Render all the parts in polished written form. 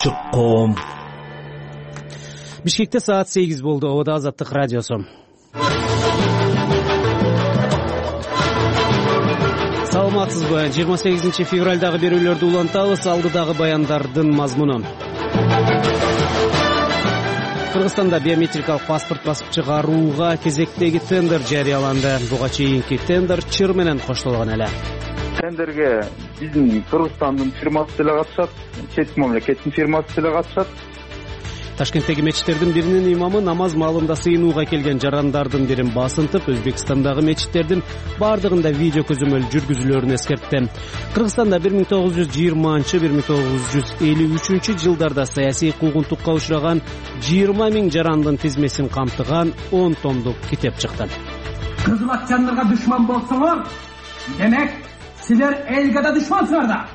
Чукком. Бишкекте саат 8 болду. Обода Азаттык радиосу. Саламатсызбы? 28 февралдагы берүүлөрдү улантабыз. Алдыдагы баяндардын мазмуну. Кыргызстанда биометрикалык паспорт басып чыгарууга кезектеги тендер жарыяланды. Буга чейинки тендер чыр менен коштолгон эле. Тендерге биздин Кыргызстандын фирмасы деле катышат, чет мамлекеттин фирмасы деле катышат. Ташкенттеги мечиттердин биринин имамы намаз маалында сыйынууга келген жарандардын бирин басынтып, Өзбекстандагы мечиттердин бардыгында видео көзөмөл жүргүзүлөрүн эскертти. Кыргызстанда 1920-1953 жылдарда саясий куугунтукка учураган 20 000 жарандын тизмесин камтыган 10 томдук китеп чыкты. Кызыл акчаңдарга душман болсоңор, демек силер элге да душмансыңар да.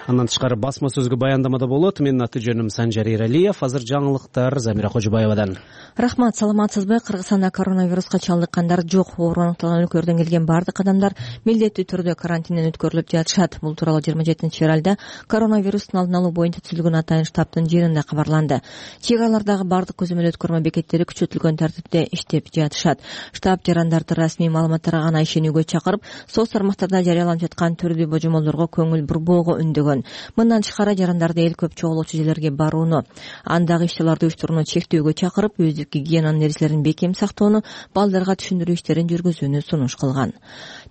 Андан тышкары басма сөзгө баяндамада болот. Менин аты жөнүм Санжар Эралиев. Азыр жаңылыктар Замира Кожубаевадан. Рахмат, саламатсызбы? Кыргызстанда коронавируска чалдыккандар жок. Оору аныкталган өлкөлөрдөн келген бардык адамдар милдеттүү түрдө карантинден өткөрүлүп жатышат. Бул тууралуу 27 февралда коронавирустун алдын алуу боюнча түзүлгөн атайын штабтын жыйынында кабарланды. Чек аралардагы бардык көзөмөл өткөрмө бекеттери күчөтүлгөн тартипте иштеп жатышат. Штаб жарандарды расмий маалыматтарга гана ишенүүгө чакырып, соц тармактарда жарыяланып жаткан түрдүү божомолдорго көңүл бурбоого үндөгөн. Мындан тышкары жарандарды эл көп чогулуучу жерлерге барууну, андагы иш-чарларды уюштурууну чектөөгө чакырып, өздүк гигиенанын эрежелерин бекем сактоону, балдарга түшүндүрүү иштерин жүргүзүүнү сунуш кылган.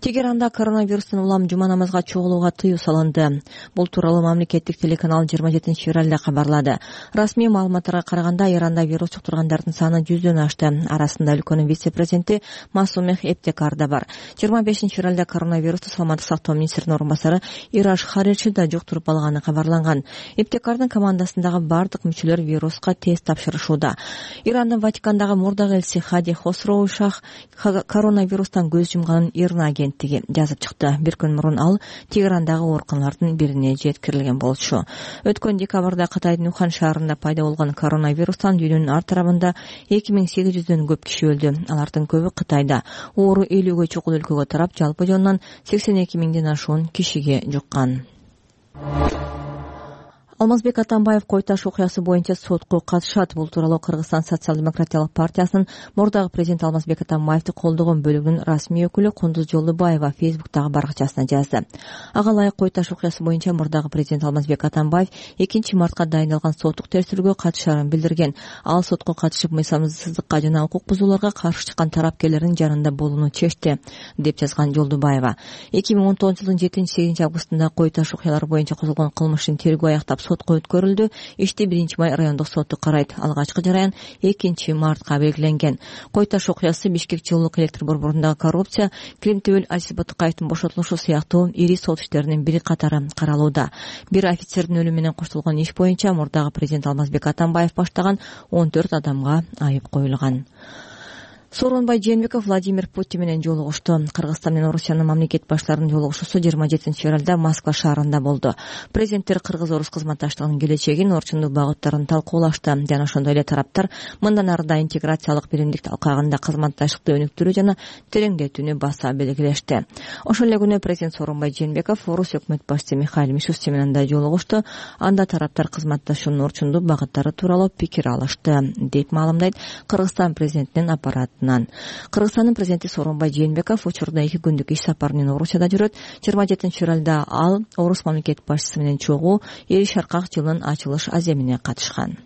Тегеранда коронавирустан улам жума намазга чогулууга тыюу салынды. Бул тууралуу мамлекеттик телеканал 27 февралда кабарлады. Расмий маалыматтарга караганда, Иранда вирус чуктургандардын саны 100дөн ашты. Арасында өлкөнүн вице-президенти Масумех Эптекар да бар. 25 февралда коронавирусту саламаттык сактоо министринин орун басары Ираш Харичи да жуктуруп алганы кабарланган. Эптекардын командасындагы бардык мүчөлөр вируска тест тапшырышууда. Ирандын Ватикандагы мурдагы элчиси Хади Хосроу Шах коронавирустан көз жумганын ИРНА агенттиги жазып чыкты. Бир күн мурун ал Тегерандагы ооруканалардын бирине жеткирилген болчу. Өткөн декабрда Кытайдын Ухан шаарында пайда болгон коронавирустан дүйнөнүн ар тарабында 2800дөн көп киши өлдү. Алардын көбү Кытайда. Оору 50ге чукул өлкөгө тарап, жалпы жонунан 82 000ден ашуун кишиге жуккан. Алмазбек Атамбаев кой таш окуясы боюнча сотко катышат. Бул тууралуу Кыргызстан социал-демократиялык партиясынын мурдагы президент Алмазбек Атамбаевди колдогон бөлүгүнүн расмий өкүлү Кундуз Жолдубаева Фейсбуктагы баракчасына жазды. Ага ылайык кой таш окуясы боюнча мурдагы президент Алмазбек Атамбаев 2 мартка дайындалган соттук тергөөгө катышарын билдирген. Ал сотко катышып, мыйзамсыздыкка жана укук бузууларга каршы чыккан тарапкерлердин жанында болууну чечти, деп жазган Жолдубаева. 2019 жылдын 7-8 августунда кой таш окуялары боюнча козголгон кылмыштын тергөө аяктап сотко өткөрүлдү. Ишти 1-май райондук соту карайт. Алгачкы жараян 2 мартка белгиленген. Кой таш окуясы Бишкек жылуулук электр борборунда коррупция, Климтөбөл Азиз Батыкаевдин бошотулушу сыяктуу ири сот иштеринин бири катары каралууда. Бир офицердин өлүмү менен коштолгон иш боюнча мурдагы президент Алмазбек Атамбаев баштаган 14 адамга айып коюлган. Сооронбай Жээнбеков Владимир Путин менен жолугушту. Кыргызстан менен Орусиянын мамлекет баштарынын жолугушуусу 27 февралда Москва шаарында болду. Президенттер кыргыз-орус кызматташтыгынын келечегин, орчундуу багыттарын талкуулашты. Жана ошондой эле тараптар мындан ары да интеграциялык биримдик алкагында кызматташтыкты өнүктүрүү жана тереңдетүүнү баса белгилешти. Ошол эле күнү президент Сооронбай Жээнбеков Орус өкмөт башчысы Михаил Мишустин менен да жолугушту. Анда тараптар кызматташуунун орчундуу багыттары тууралуу пикир алышты, деп маалымдайт Кыргызстан президентинин аппараты. Кыргызстандын президенти Сооронбай Жээнбеков учурда 2 күндүк иш сапары менен Орусияда жүрөт. 27 февралда ал Орус мамлекет башчысы менен чогуу Эри Шаркак жылынын ачылыш аземине катышкан.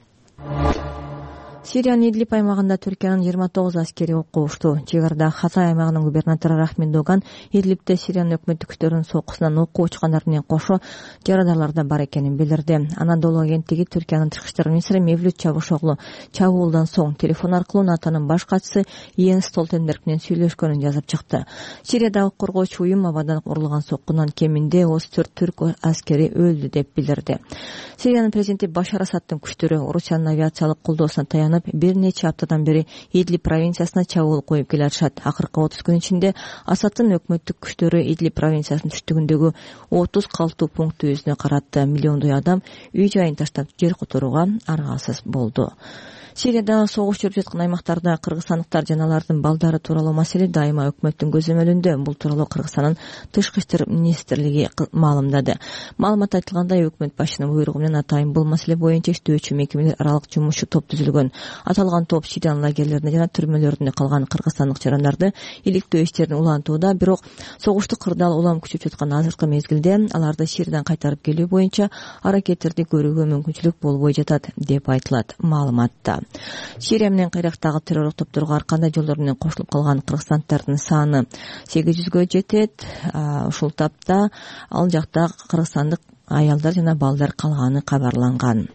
Сириянын Идлиб аймагында Түркиянын 29 аскери окко ушту. Чегарада Хатай аймагынын губернатору Рахмин Доган Идлибде Сириянын өкмөттүк күчтөрүнүн соккусунан окко учкандар менен кошо жарадандар да бар экенин билдирди. Анадолу агенттиги Түркиянын тышкы иштер министри Мевлют Чавушоглу чабуулдан соң телефон аркылуу НАТОнун баш катчысы Йенс Столтенберг менен сүйлөшкөнүн жазып чыкты. Сириядагы коргоочу уюм абадан урулган соккунан кеминде 34 түрк аскери өлдү, деп билдирди. Сириянын президенти Башар Асаддын күчтөрү Орусиянын авиациялык колдоосуна таянып, бир нече аптадан бери Идлиб провинциясына чабуул коюп келатышат. Акыркы 30 күн ичинде Асаддын өкмөттүк күчтөрү Идлиб провинциясынын түштүгүндөгү 30 калктуу пунктту өзүнө каратты. Миллиондой адам үй жайын таштап жер которууга аргасыз болду. Сирияда согуш жүрүп жаткан аймактарда кыргызстандыктар жана алардын балдары тууралуу маселе дайыма өкмөттүн көзөмөлүндө. Бул тууралуу Кыргызстандын Тышкы иштер министрлиги маалымдады. Маалыматта айтылгандай, өкмөт башчынын буйругу менен атайын бул маселе боюнча иштөөчү мекемелер аралык жумушчу топ түзүлгөн. Аталган топ Сириянын лагерлерине жана түрмөлөрүндө калган кыргызстандык жарандарды иликтөө иштерин улантууда. Бирок согушту кырдаал улам күчөп жаткан азыркы мезгилде аларды Сириядан кайтарып келүү боюнча аракеттерди көрүүгө мүмкүнчүлүк болбой жатат деп айтылат маалыматта. Сирия менен кайрактагы террорлук топторго ар кандай жолдор менен кошулуп калган кыргызстандыктардын саны 800гө жетет. Ушул тапта ал жакта кыргызстандык аялдар жана балдар калганы кабарланган.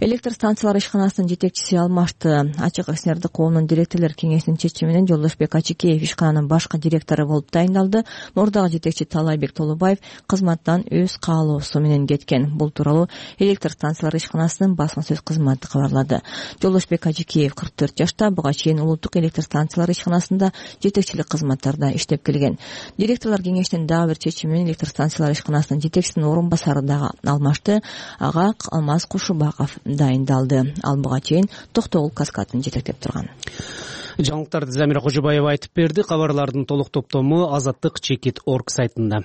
Электр станциялар ишканасынын жетекчиси алмашты. Ачык акционердик коомунун директорлор кеңешинин чечими менен Жолдошбек Ачыкеев ишкананын башкы директору болуп тайындалды. Мурдагы жетекчи Талайбек Толубаев кызматтан өз каалоосу менен кеткен. Бул тууралуу электр станциялар ишканасынын басма сөз кызматы кабарлады. Жолдошбек Ачыкеев 44 жашта, буга чейин улуттук электр станциялар ишканасында жетекчилик кызматтарда иштеп келген. Директорлор кеңешинин дагы бир чечими менен электр станциялар ишканасынын жетекчисинин орун басары дагы алмашты. Ага Алмаз Кушубаков дайындалды. Ал буга чейин Токтогул каскадын жетектеп турган. Жаңылыктарды Замира Кожобаева айтып берди. Кабарлардын толук топтому Азаттык.org сайтында.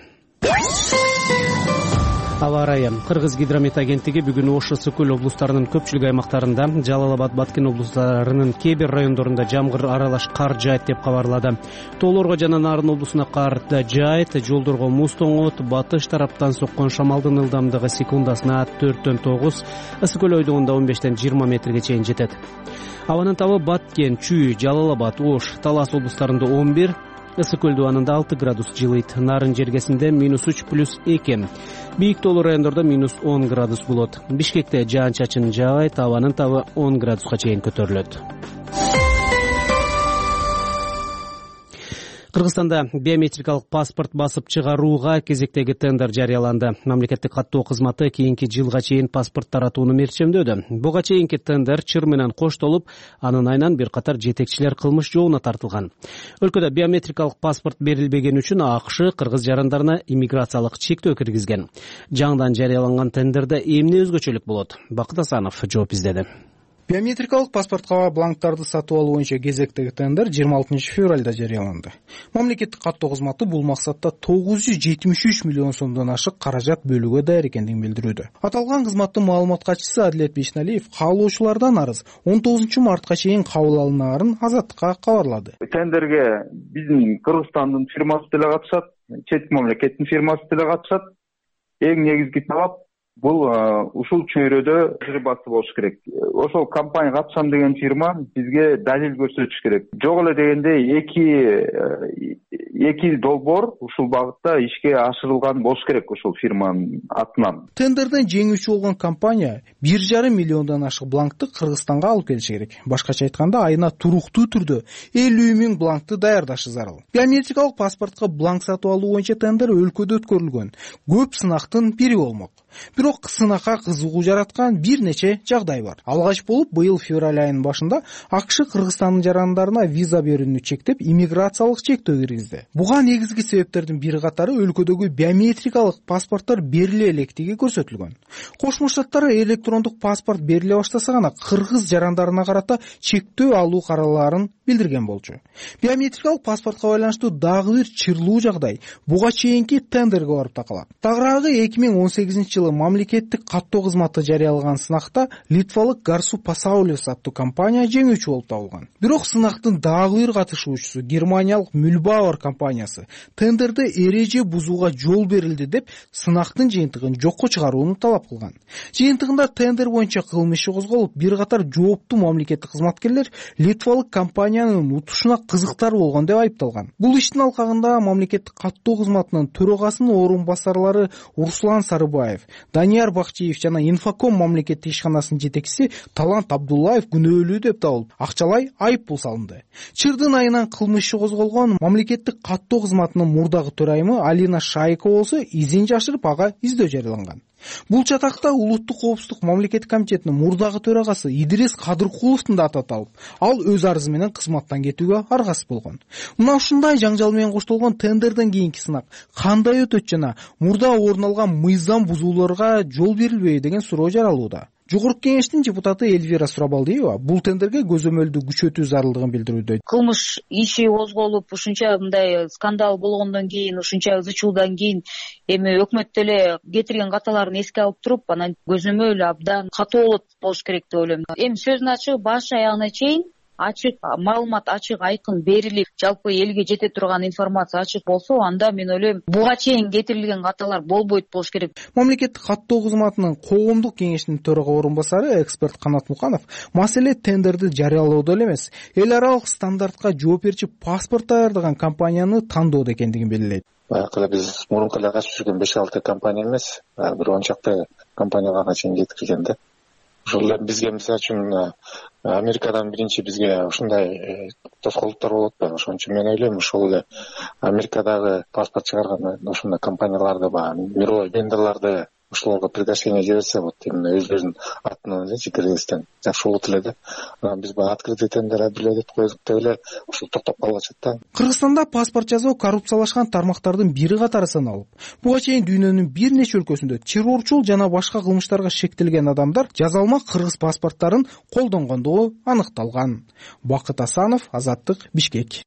Аба ырайы. Кыргыз гидромет агенттиги бүгүн Ош, Ысык-Көл облустарынын көпчүлүк аймактарында, Жалал-Абад, Баткен облустарынын кээ бир райондорунда жамгыр аралаш кар жаайт деп кабарлады. Тоолорго жана Нарын облусуна кар да жаайт, жолдорго муз тоңот, батыш тараптан соккон шамалдын ылдамдыгы секундасына 4-төн 9, Ысык-Көл ойдугунда 15-20 метрге чейин жетет. Абанын табы Баткен, Чүй, Жалал-Абад, Ош, Талас облустарында 11, Ысык-Көл дубанында 6 градус жылыйт. Нарын жергесинде -3+2. Бийик тоолуу райондордо -10 градус болот. Бишкекте жаан-чачын жаабайт, абанын табы 10 градуска чейин көтөрүлөт. Кыргызстанда биометрикалык паспорт басып чыгарууга кезектеги тендер жарыяланды. Мамлекеттик каттоо кызматы кийинки жылга чейин паспорт таратууну мерчемдөдү. Буга чейинки тендер чыр менен коштолуп, анын айынан бир катар жетекчилер кылмыш жообуна тартылган. Өлкөдө биометрикалык паспорт берилбегени үчүн АКШ кыргыз жарандарына иммиграциялык чектөө киргизген. Жаңыдан жарыяланган тендерде эмне өзгөчөлүк болот? Бакыт Асанов жооп издеди. Биометрикалык паспортко бланктарды сатып алуу боюнча кезектеги тендер 26 февралда жарыяланды. Мамлекеттик каттоо кызматы бул максатта 973 миллион сомдон ашык каражат бөлүүгө даяр экендигин билдирүүдө. Аталган кызматтын маалымат катчысы Адилет Бешналиев каалоочулардан арыз 19 мартка чейин кабыл алынаарын Азаттыкка кабарлады. Тендерге биздин Кыргызстандын фирмасы деле катышат, чет мамлекеттин фирмасы деле катышат. Эң негизги талап бул ушул чөйрөдө басып болуш керек. Ошол компания катышам деген фирма бизге далил көрсөтүш керек. Жок эле дегенде эки долбоор ушул багытта ишке ашырылган болуш керек ушул фирманын атынан. Тендерден жеңүүчү болгон компания 1,5 миллиондон ашык бланкты Кыргызстанга алып келиши керек. Башкача айтканда, айына туруктуу түрдө 50 000 бланкты даярдашы зарыл. Биометрикалык паспортко бланк сатып алуу боюнча тендер өлкөдө өткөрүлгөн. Көп сынактын бири болмок. Бирок сынакка кызыгуу жараткан бир нече жагдай бар. Алгач болуп, быйыл февраль айынын башында АКШ Кыргызстандын жарандарына виза берүүнү чектеп, иммиграциялык чектөө киргизди. Буга негизги себептердин бир катары өлкөдөгү биометрикалык паспорттор бериле электиги көрсөтүлгөн. Кошмо Штаттар электрондук паспорт бериле баштаса гана кыргыз жарандарына карата чектөө алуу караларын билдирген болчу. Биометрикалык паспортко байланыштуу дагы бир чырлуу жагдай буга чейинки тендерге барып такалат. Тагыраагы 2018 мамлекеттик каттоо кызматы жарыялаган сынакта литвалык Гарсу Пасаулес аттуу компания жеңүүчү болуп табылган. Бирок сынактын дагы бир катышуучусу германиялык Мюльбауэр компаниясы тендерде эреже бузууга жол берилди деп сынактын жыйынтыгын жокко чыгарууну талап кылган. Жыйынтыгында тендер боюнча кылмыш иши козголуп, бир катар жооптуу мамлекеттик кызматкерлер литвалык компаниянын утушуна кызыктар болгон деп айыпталган. Бул иштин алкагында мамлекеттик каттоо кызматынын төрагасынын орун басарлары Руслан Сарыбаев, Данияр Бакчиев жана Инфоком мамлекеттик ишканасынын жетекчиси Талант Абдуллаев күнөөлүү деп табылып, акчалай айып пул салынды. Чырдын айынан кылмыш иши козголгон мамлекеттик каттоо кызматынын мурдагы төрайымы Алина Шайкова болсо изин жашырып, ага издөө жарыяланган. Бул чатакта улуттук коопсуздук мамлекеттик комитетинин мурдагы төрагасы Идрис Кадыркуловдун да аты аталып, ал өз арызы менен кызматтан кетүүгө аргасыз болгон. Мына ушундай жаңжал менен коштолгон тендерден кийинки сынак кандай өтөт жана мурда орун алган мыйзам бузууларга жол берилбейби деген суроо жаралууда. Жогорку кеңештин депутаты Эльвира Сурабалдиева бул тендерге көзөмөлдү күчөтүү зарылдыгын билдирүүдө. Кылмыш иши козголуп, ушунча мындай скандал болгондон кийин, ушунча ызы чуудан кийин эми өкмөт деле кетирген каталарын эске алып туруп, анан көзөмөл абдан катуу болуш керек деп ойлойм. Эми сөздүн ачыгы баш аягына чейин ачык маалымат, ачык айкын берилип, жалпы элге жете турган информация ачык болсо, анда мен ойлойм буга чейин кетирилген каталар болбойт болуш керек. Мамлекеттик каттоо кызматынын коомдук кеңешинин төрага орун басары эксперт Канат Муканов маселе тендерди жарыялоодо эле эмес, эл аралык стандартка жооп берчи паспорт даярдаган компанияны тандоодо экендигин белгилейт. Баягы эле биз мурунку эле катышып жүргөн 5-6 компания эмес, бир 10 чакты компанияга чейин жеткирген да. Ошол бизге мисалы үчүн Америкадан биринчи бизге ушундай тоскоолдуктар болуп атпайбы. Ошон үчүн мен ойлойм ушул эле Америкадагы паспорт чыгарган ушундай компанияларды, мировой вендорлорду ошолорго приглашение жиберсе болот. Именно өзлөрүнүн атынан элечи Кыргызстан жакшы болот эле да. Анан биз баягы открытый тендер объявлять койдук деп эле ушул токтоп калышат да. Кыргызстанда паспорт жасоо коррупциялашкан тармактардын бири катары саналып, буга чейин дүйнөнүн бир нече өлкөсүндө террорчул жана башка кылмыштарга шектелген адамдар жазалма кыргыз паспорттарын колдонгондугу аныкталган. Бакыт Асанов, Азаттык, Бишкек.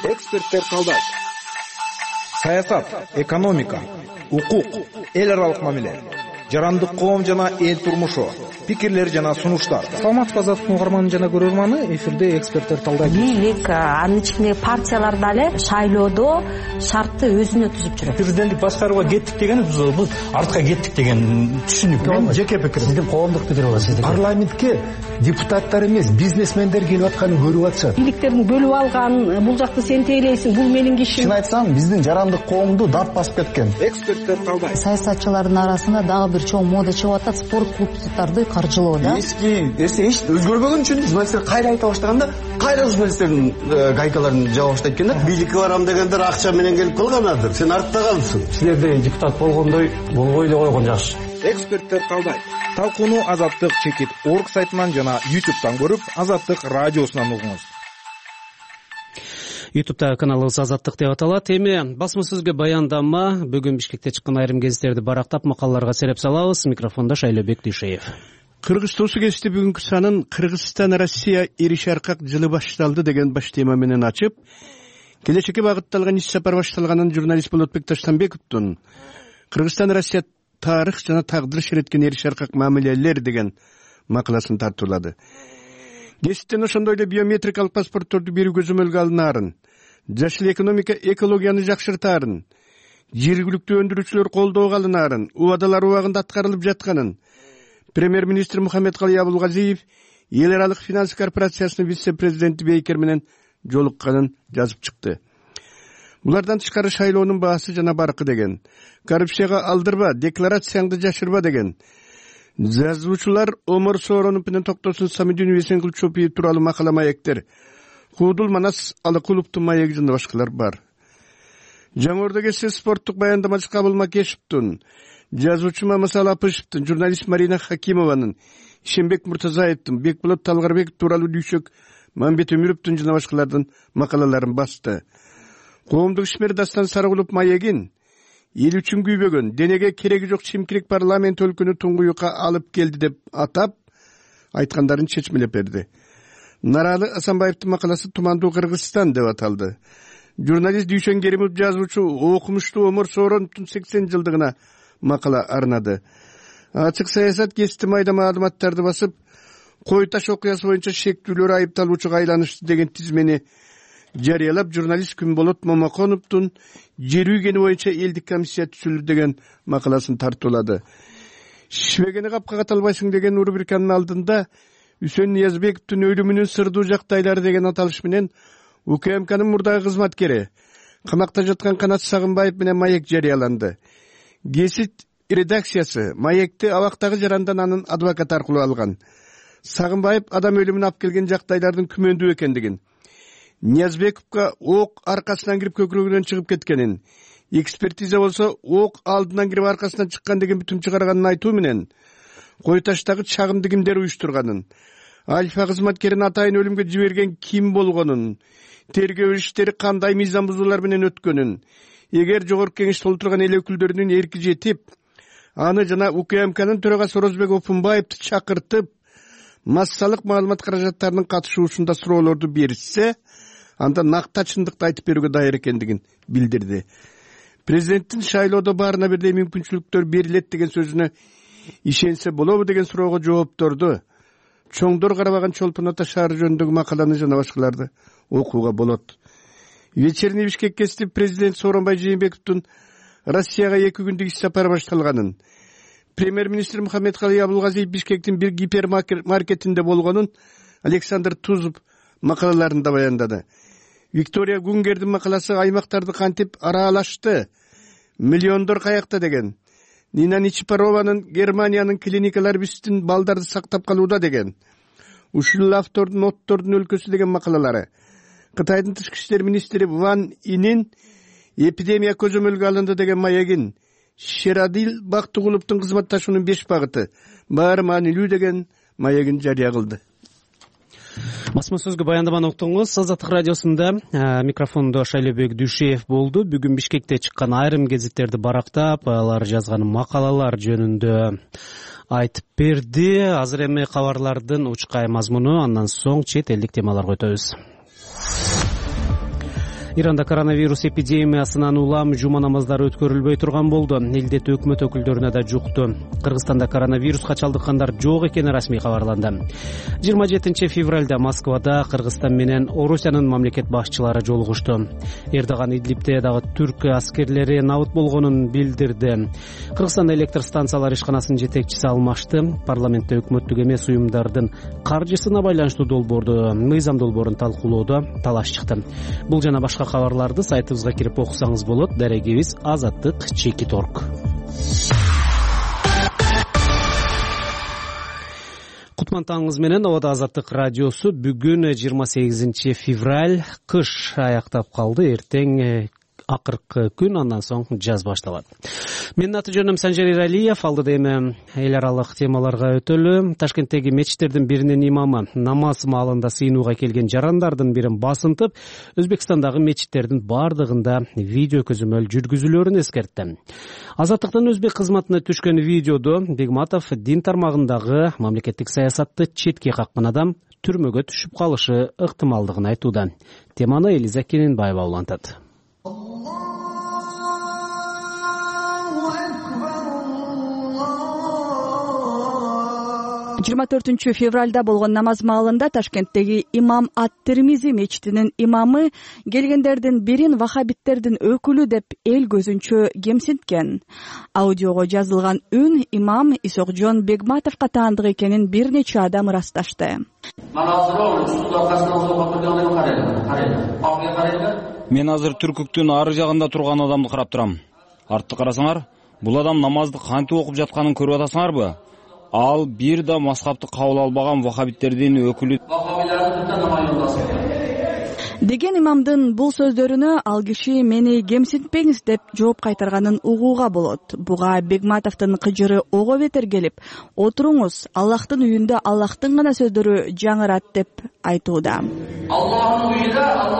Эксперттер калдайт. Саясат, экономика, укук, эл аралык мамиле, жарандык коом жана эл турмушу, пикирлер жана сунуштар. Саламатсызбы Азаттык угарманы жана көрөрманы, эфирде эксперттер талдайт. Бийлик, анын ичинде партиялар дагы шайлоодо шартты өзүнө түзүп жүрөт. Президенттик башкарууга кеттик деген бул артка кеттик деген түшүнүк. Мен жеке пикирим. Сиздин коомдук пикириңиз сиздин. Парламентке депутаттар эмес, бизнесмендер келип атканын көрүп атышат. Бийликтердин бөлүп алган, бул жакты сен тейлейсиң, бул менин кишим. Чын айтсам, биздин жарандык коомду дап басып кеткен. Эксперттер талдайт. Саясатчылардын арасында дагы бир чоң мода чыгып атат, спорт клубдарды каржылоо да. Эч өзгөрбөгөн үчүн журналисттер кайра айта баштаганда, кайра журналисттердин гайкаларын жаба баштайт экен да. Бийликке барам дегендер акча менен келип калганадыр. Сен артта калыпсың. Силерде депутат болгондой болбой эле койгон жакшы. Эксперттер талдайт. Талкууну Азаттык чекит орг сайтынан жана YouTube'дан көрүп, Азаттык радиосунан угуңуз. YouTube'да каналыбыз Азаттык деп аталат. Эми басма сөзгө баяндама, бүгүн Бишкекте чыккан айрым гезиттерди барактап макалаларга сереп салабыз. Микрофондо Шайлообек Дүйшеев. Кыргыз Тосу гезити бүгүнкү санын Кыргызстан Россия ири шаркак жылы башталды деген баш тема менен ачып, келечекке багытталган иш сапар башталганын журналист Болотбек Таштанбековдун Кыргызстан Россия тарых жана тагдыр ширеткен ири шаркак мамилелер деген макаласын тартуулады. Гезиттен ошондой эле биометрикалык паспортторду берүү көзөмөлгө алынаарын, жашыл экономика экологияны жакшыртаарын, жергиликтүү өндүрүүчүлөр колдоого алынаарын, убадалар убагында аткарылып жатканын премьер-министр Мухаммедкалый Абулгазиев эл аралык финанс корпорациясынын вице-президенти Бейкер менен жолукканын жазып чыкты. Булардан тышкары шайлоонун баасы жана баркы деген, коррупцияга алдырба, декларацияңды жашырба деген, жазуучулар Омар Сооронов менен Токтосун Самидинов Эсенгул Чопиев тууралуу макала маектер, Куудул Манас Алыкуловдун маеги жана башкалар бар. Жаңырда келсе спорттук баяндамачы Кабыл Макешевдин, жазуучу Мамасал Апышевдин, журналист Марина Хакимованын, Ишенбек Муртазаевдин, Бекболот Талгарбеков тууралуу Дүйшөк Мамбет Өмүрөвдүн жана башкалардын макалаларын басты. Коомдук ишмер Дастан Сарыгулов маегин эл үчүн күйбөгөн, денеге кереги жок чимкирик парламент өлкөнү туңгуюкка алып келди деп атап, айткандарын чечмелеп берди. Наралы Асанбаевдин макаласы Тумандуу Кыргызстан деп аталды. Журналист Дүйшөн Керимов жазуучу окумуштуу Омар Соороновдун 80 жылдыгына макала арнады. Ачык саясат гезити майда маалыматтарды басып, Кой Таш окуясы боюнча шектүүлөр айыпталуучуга айланышты деген тизмени жарыялап, журналист Күнболот Момаконовдун жер үйгени боюнча элдик комиссия түзүлдү деген макаласын тартуулады. Шишпегени капка каталбайсың деген рубриканын алдында Үсөн Ниязбековдун өлүмүнүн сырдуу жактайлары деген аталыш менен УКМКнын мурдагы кызматкери, камакта жаткан Канат Сагынбаев менен маек жарыяланды. Гезит редакциясы маекти абактагы жарандан анын адвокаты аркылуу алган. Сагынбаев адам өлүмүн алып келген жактайлардын күмөндүү экендигин, Ниязбековго ок аркасынан кирип көкүрөгүнөн чыгып кеткенин, экспертиза болсо ок алдынан кирип аркасынан чыккан деген бүтүм чыгарганын айтуу менен Кой Таштагы чагымды кимдер уюштурганын, Альфа кызматкерин атайын өлүмгө жиберген ким болгонун, тергөө иштери кандай мыйзам бузуулар менен өткөнүн, эгер жогорку кеңеште отурган эл өкүлдөрүнүн эрки жетип, аны жана УКМКнын төрагасы Орозбек Опунбаевди чакыртып, массалык маалымат каражаттарынын катышуусунда суроолорду беришсе, анда накта чындыкты айтып берүүгө даяр экендигин билдирди. Президенттин шайлоодо баарына бирдей мүмкүнчүлүктөр берилет деген сөзүнө ишенсе болобу деген суроого жоопторду чоңдор карабаган Чолпон Ата шаары жөнүндөгү макаланы жана башкаларды окууга болот. Вечерний Бишкек кесип президент Сооронбай Жээнбековдун Россияга 2 күндүк иш сапары башталганын, премьер-министр Мухаммедкалый Абулгазиев Бишкектин бир гипермаркетинде болгонун Александр Тузов макалаларында баяндады. Виктория Гунгердин макаласы аймактарды кантип аралашты, миллиондор каякта деген. Нина Ничипарованын Германиянын клиникалар биздин балдарды сактап калууда деген. Ушул автордун оттордун өлкөсү деген макалалары. Кытайдын тышкы иштер министри Ван Инин эпидемия көзөмөлгө алынды деген маегин, Шерадил Бактыгуловдун кызматташуунун 5 багыты баары маанилүү деген маегин жарыя кылды. Басма сөзгө баяндаманы уктуңуз. Азаттык радиосунда микрофондо Шайлебек Дүйшеев болду. Бүгүн Бишкекте чыккан айрым гезиттерди барактап, алар жазган макалалар жөнүндө айтып берди. Азыр эми кабарлардын учкай мазмуну, андан соң чет элдик темаларга өтөбүз. Иранда коронавирус эпидемиясынан улам жума намаздары өткөрүлбөй турган болду. Элдет өкмөт өкүлдөрүнө да жукту. Кыргызстанда коронавируска чалдыккандар жок экени расмий кабарланды. 27 февралда Москвада Кыргызстан менен Орусиянын мамлекет башчылары жолугушту. Эрдоган Идлибте дагы түрк аскерлери набыт болгонун билдирди. Кыргызстанда электр станциялар ишканасынын жетекчиси алмашты. Парламентте өкмөттүк эмес уюмдардын каржысына байланыштуу долбоорду, мыйзам долбоорун талкуулоодо талаш чыкты. Бул жана башка кабарларды сайтыбызга кирип окусаңыз болот. Дарегибиз azattik.org. Кутман таңыңыз менен Абада Азаттык радиосу. Бүгүн 28 февраль, кыш аяктап калды. Эртең акыркы күн, андан соң жаз башталат. Менин аты жөнүм Санжар Иралиев. Алдыда эми эл аралык темаларга өтөлү. Ташкенттеги мечиттердин биринин имамы намаз маалында сыйынууга келген жарандардын бирин басынтып, Өзбекстандагы мечиттердин бардыгында видео көзөмөл жүргүзүлөрүн эскертти. Азаттыктын өзбек кызматына түшкөн видеодо Бегматов дин тармагындагы мамлекеттик саясатты четке каккан адам түрмөгө түшүп калышы ыктымалдыгын айтууда. Теманы Элиза Кененбаева улантат. 24 февралда болгон намаз маалында Ташкенттеги имам Ат-Тирмизи мечитинин имамы келгендердин бирин вахабиттердин өкүлү деп эл көзүнчө кемсинткен. Аудиого жазылган үн имам Исокжон Бегматовго таандык экенин бир нече адам ырасташты. Мен азыр Түркүктүн ары жагында турган адамды карап турам. Артты карасаңар, бул адам намазды кантип окуп жатканын көрүп атасыңарбы? Ал бир да мазхабты кабыл албаган вахабиттердин өкүлү деген имамдын бул сөздөрүнө ал киши мени кемсинтпеңиз деп жооп кайтарганын угууга болот. Буга Бегматовдун кыжыры ого бетер келип, отуруңуз, Аллахтын үйүндө Аллахтын гана сөздөрү жаңырат деп айтууда. Аллахтын үйүндө Аллахтын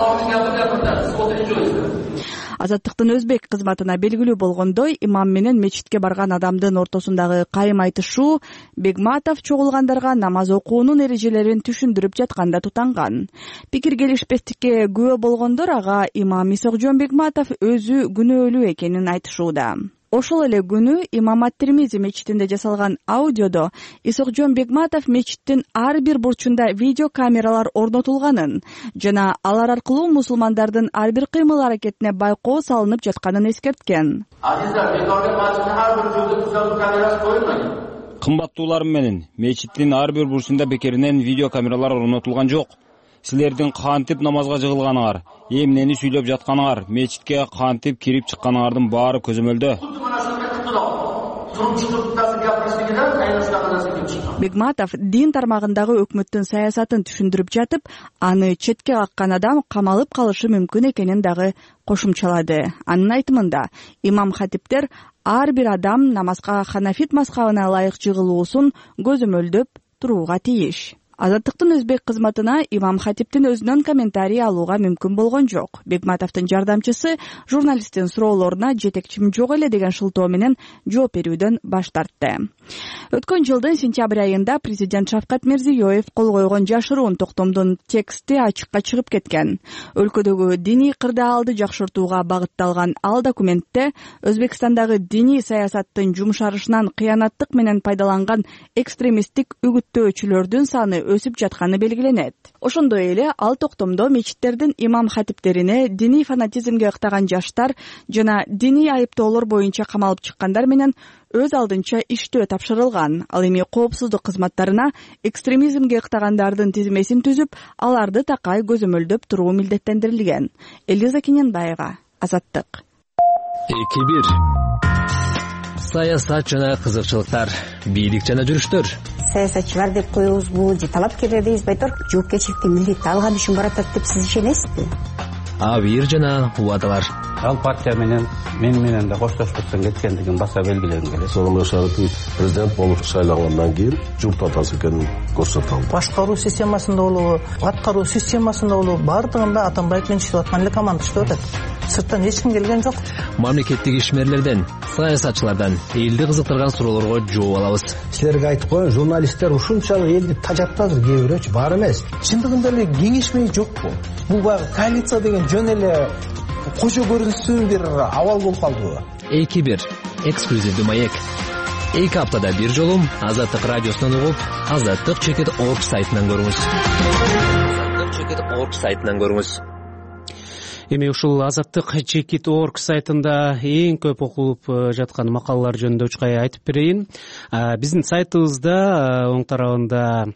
Азаттыктын өзбек кызматына белгилүү болгондой, имам менен мечитке барган адамдын ортосундагы кайым айтышуу Бегматов чогулгандарга намаз окуунун эрежелерин түшүндүрүп жатканда тутанган. Пикир келишпестикке күбө болгондор ага имам Исокжон Бегматов өзү күнөөлүү экенин айтышууда. Ошол эле күнү имам Ат-Тирмизи мечитинде жасалган аудиодо Исокжон Бегматов мечиттин ар бир бурчунда видео камералар орнотулганын жана алар аркылуу мусулмандардын ар бир кыймыл аракетине байкоо салынып жатканын эскерткен. Кымбаттууларым менен, мечиттин ар бир бурчунда бекеринен видео камералар орнотулган жок. Силердин кантип намазга жыгылганыңар, эмнени сүйлөп жатканыңар, мечитке кантип кирип чыкканыңардын баары көзөмөлдө. Бегматов дин тармагындагы өкмөттүн саясатын түшүндүрүп жатып, аны четке каккан адам камалып калышы мүмкүн экенин дагы кошумчалады. Анын айтымында, имам хатиптер ар бир адам намазга Ханафит мазхабына ылайык жыгылуусун көзөмөлдөп турууга тийиш. Азаттыктын өзбек кызматына имам хатиптин өзүнөн комментарий алууга мүмкүн болгон жок. Бегматовдун жардамчысы журналисттин суроолоруна жетекчим жок эле деген шылтоо менен жооп берүүдөн баш тартты. Өткөн жылдын сентябрь айында президент Шавкат Мирзиёев кол койгон жашыруун токтомдун тексти ачыкка чыгып кеткен. Өлкөдөгү диний кырдаалды жакшыртууга багытталган ал документте Өзбекстандагы диний саясаттын жумшарышынан кыянаттык менен пайдаланган экстремисттик үгүттөөчүлөрдүн саны өсүп жатканы белгиленет. Ошондой эле ал токтомдо мечиттердин имам хатиптерине диний фанатизмге ыктаган жаштар жана диний айыптоолор боюнча камалып чыккандар менен өз алдынча иштөө тапшырылган. Ал эми коопсуздук кызматтарына экстремизмге ыктагандардын тизмесин түзүп, аларды такай көзөмөлдөп туруу милдеттендирилген. Элиза Кененбаева, Азаттык. 2-1. Саясат жана кызыкчылыктар, бийлик жана жүрүштөр. Саясатчылар деп коебузбу, же талапкерлер дейбизби айтор, жоопкерчиликти милдетти алган үчүн баратат деп сиз ишенесизби? Абийир жана убадалар. Ал партия менен да коштошпостон кеткендигин баса белгилегим келет. Сооронбай Шарипович президент болуп шайлангандан кийин журт атасы экенин көрсөтө алды. Башкаруу системасында болобу, аткаруу системасында болобу, бардыгында Атамбаев менен иштеп аткан эле команда иштеп атат. Сырттан эч ким келген жок. Мамлекеттик ишмерлерден, саясатчылардан элди кызыктырган суроолорго жооп алабыз. Силерге айтып коеюн, журналисттер ушунчалык элди тажатпадыр, кээ бирөөчү бар эмес. Чындыгында эле кеңешмей жокпу? Бул баягы коалиция деген жөн эле кошо көрүнүшсүн бир абал болуп калдыбы? 2-1. Эксклюзивдүү маек. 2 аптада бир жолу Азаттык радиосунан угуп, azattik.org сайтынан көрүңүз. azattik.org сайтынан көрүңүз. Эми ушул azattik.org сайтында эң көп окулуп жаткан макалалар жөнүндө учкай айтып берейин. Биздин сайтыбызда оң тарабында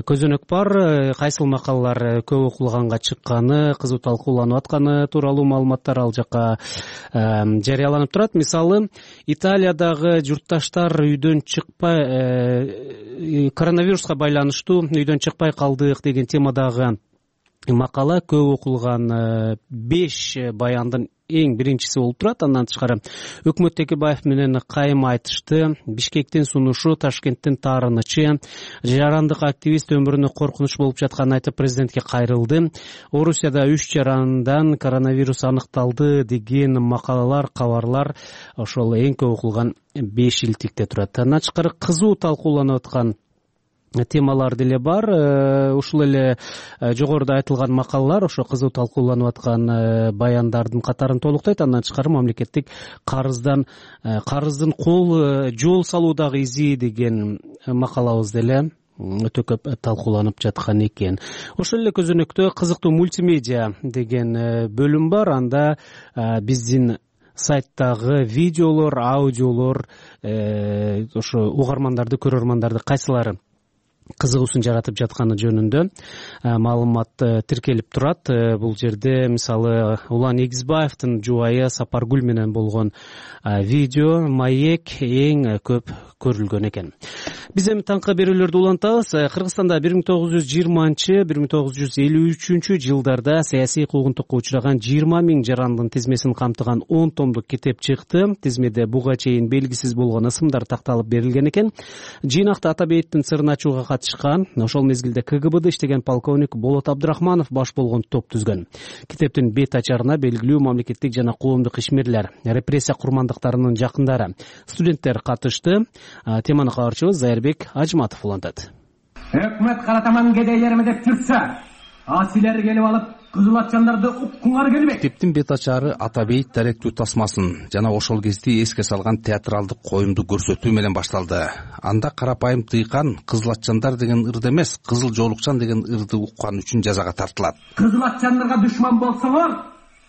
көзөнөк бар, кайсыл макалалар көп окулганга чыкканы, кызуу талкууланып атканы тууралуу маалыматтар ал жакка жарыяланып турат. Мисалы, Италиядагы журтташтар үйдөн чыкпай, коронавируска байланыштуу үйдөн чыкпай калдык деген темадагы макала көп окулган 5 баяндын эң биринчиси болуп турат. Андан тышкары өкмөт Текебаев менен кайым айтышты, Бишкектин сунушу, Ташкенттин таарынычы, жарандык активист өмүрүнө коркунуч болуп жатканын айтып президентке кайрылды. Орусияда 3 жарандан коронавирус аныкталды деген макалалар, кабарлар ошол эң көп окулган 5 илтикте турат. Андан тышкары кызуу талкууланып аткан темалар деле бар. Ушул эле жогоруда айтылган макалалар ошо кызуу талкууланып аткан баяндардын катарын толуктайт. Андан тышкары мамлекеттик карыздын жол салуудагы изи деген макалабыз деле өтө көп талкууланып жаткан экен. Ошол эле көзөнөктө кызыктуу мультимедиа деген бөлүм бар. Анда биздин сайттагы видеолор, аудиолор ошо угармандарды, көрөрмандарды кайсылары кызыгуусун жаратып жатканы жөнүндө маалымат тиркелип турат. Бул жерде мисалы Улан Эгизбаевдин жубайы Сапаргүл менен болгон видео, маек эң көп көрүлгөн экен. Биз эми таңкы берүүлөрдү улантабыз. Кыргызстанда 1920-1953 жылдарда саясий куугунтукка учураган 20 000 жарандын тизмесин камтыган 10 томдук китеп чыкты. Тизмеде буга чейин белгисиз болгон ысымдар такталып берилген экен. Жыйнакта Атабеевдин сырын ачууга катышкан, ошол мезгилде КГБда иштеген полковник Болот Абдрахманов баш болгон топ түзгөн. Китептин бет ачарына белгилүү мамлекеттик жана коомдук ишмерлер, репрессия курмандыктарынын жакындары, студенттер катышты. Теманы кабарчыбыз Зайырбек Ажматов улантат. Өкмөт каратаман кедейлерме деп жүрсө, силер келип алып кызыл атчандарды уккуңар келбейт. Китептин бет ачары Атабейт даректүү тасмасын жана ошол кезде эске салган театралдык коюмду көрсөтүү менен башталды. Анда карапайым тыйкан кызыл атчандар деген ырды эмес, кызыл жоолукчан деген ырды уккан үчүн жазага тартылат. Кызыл атчандарга душман болсоңор,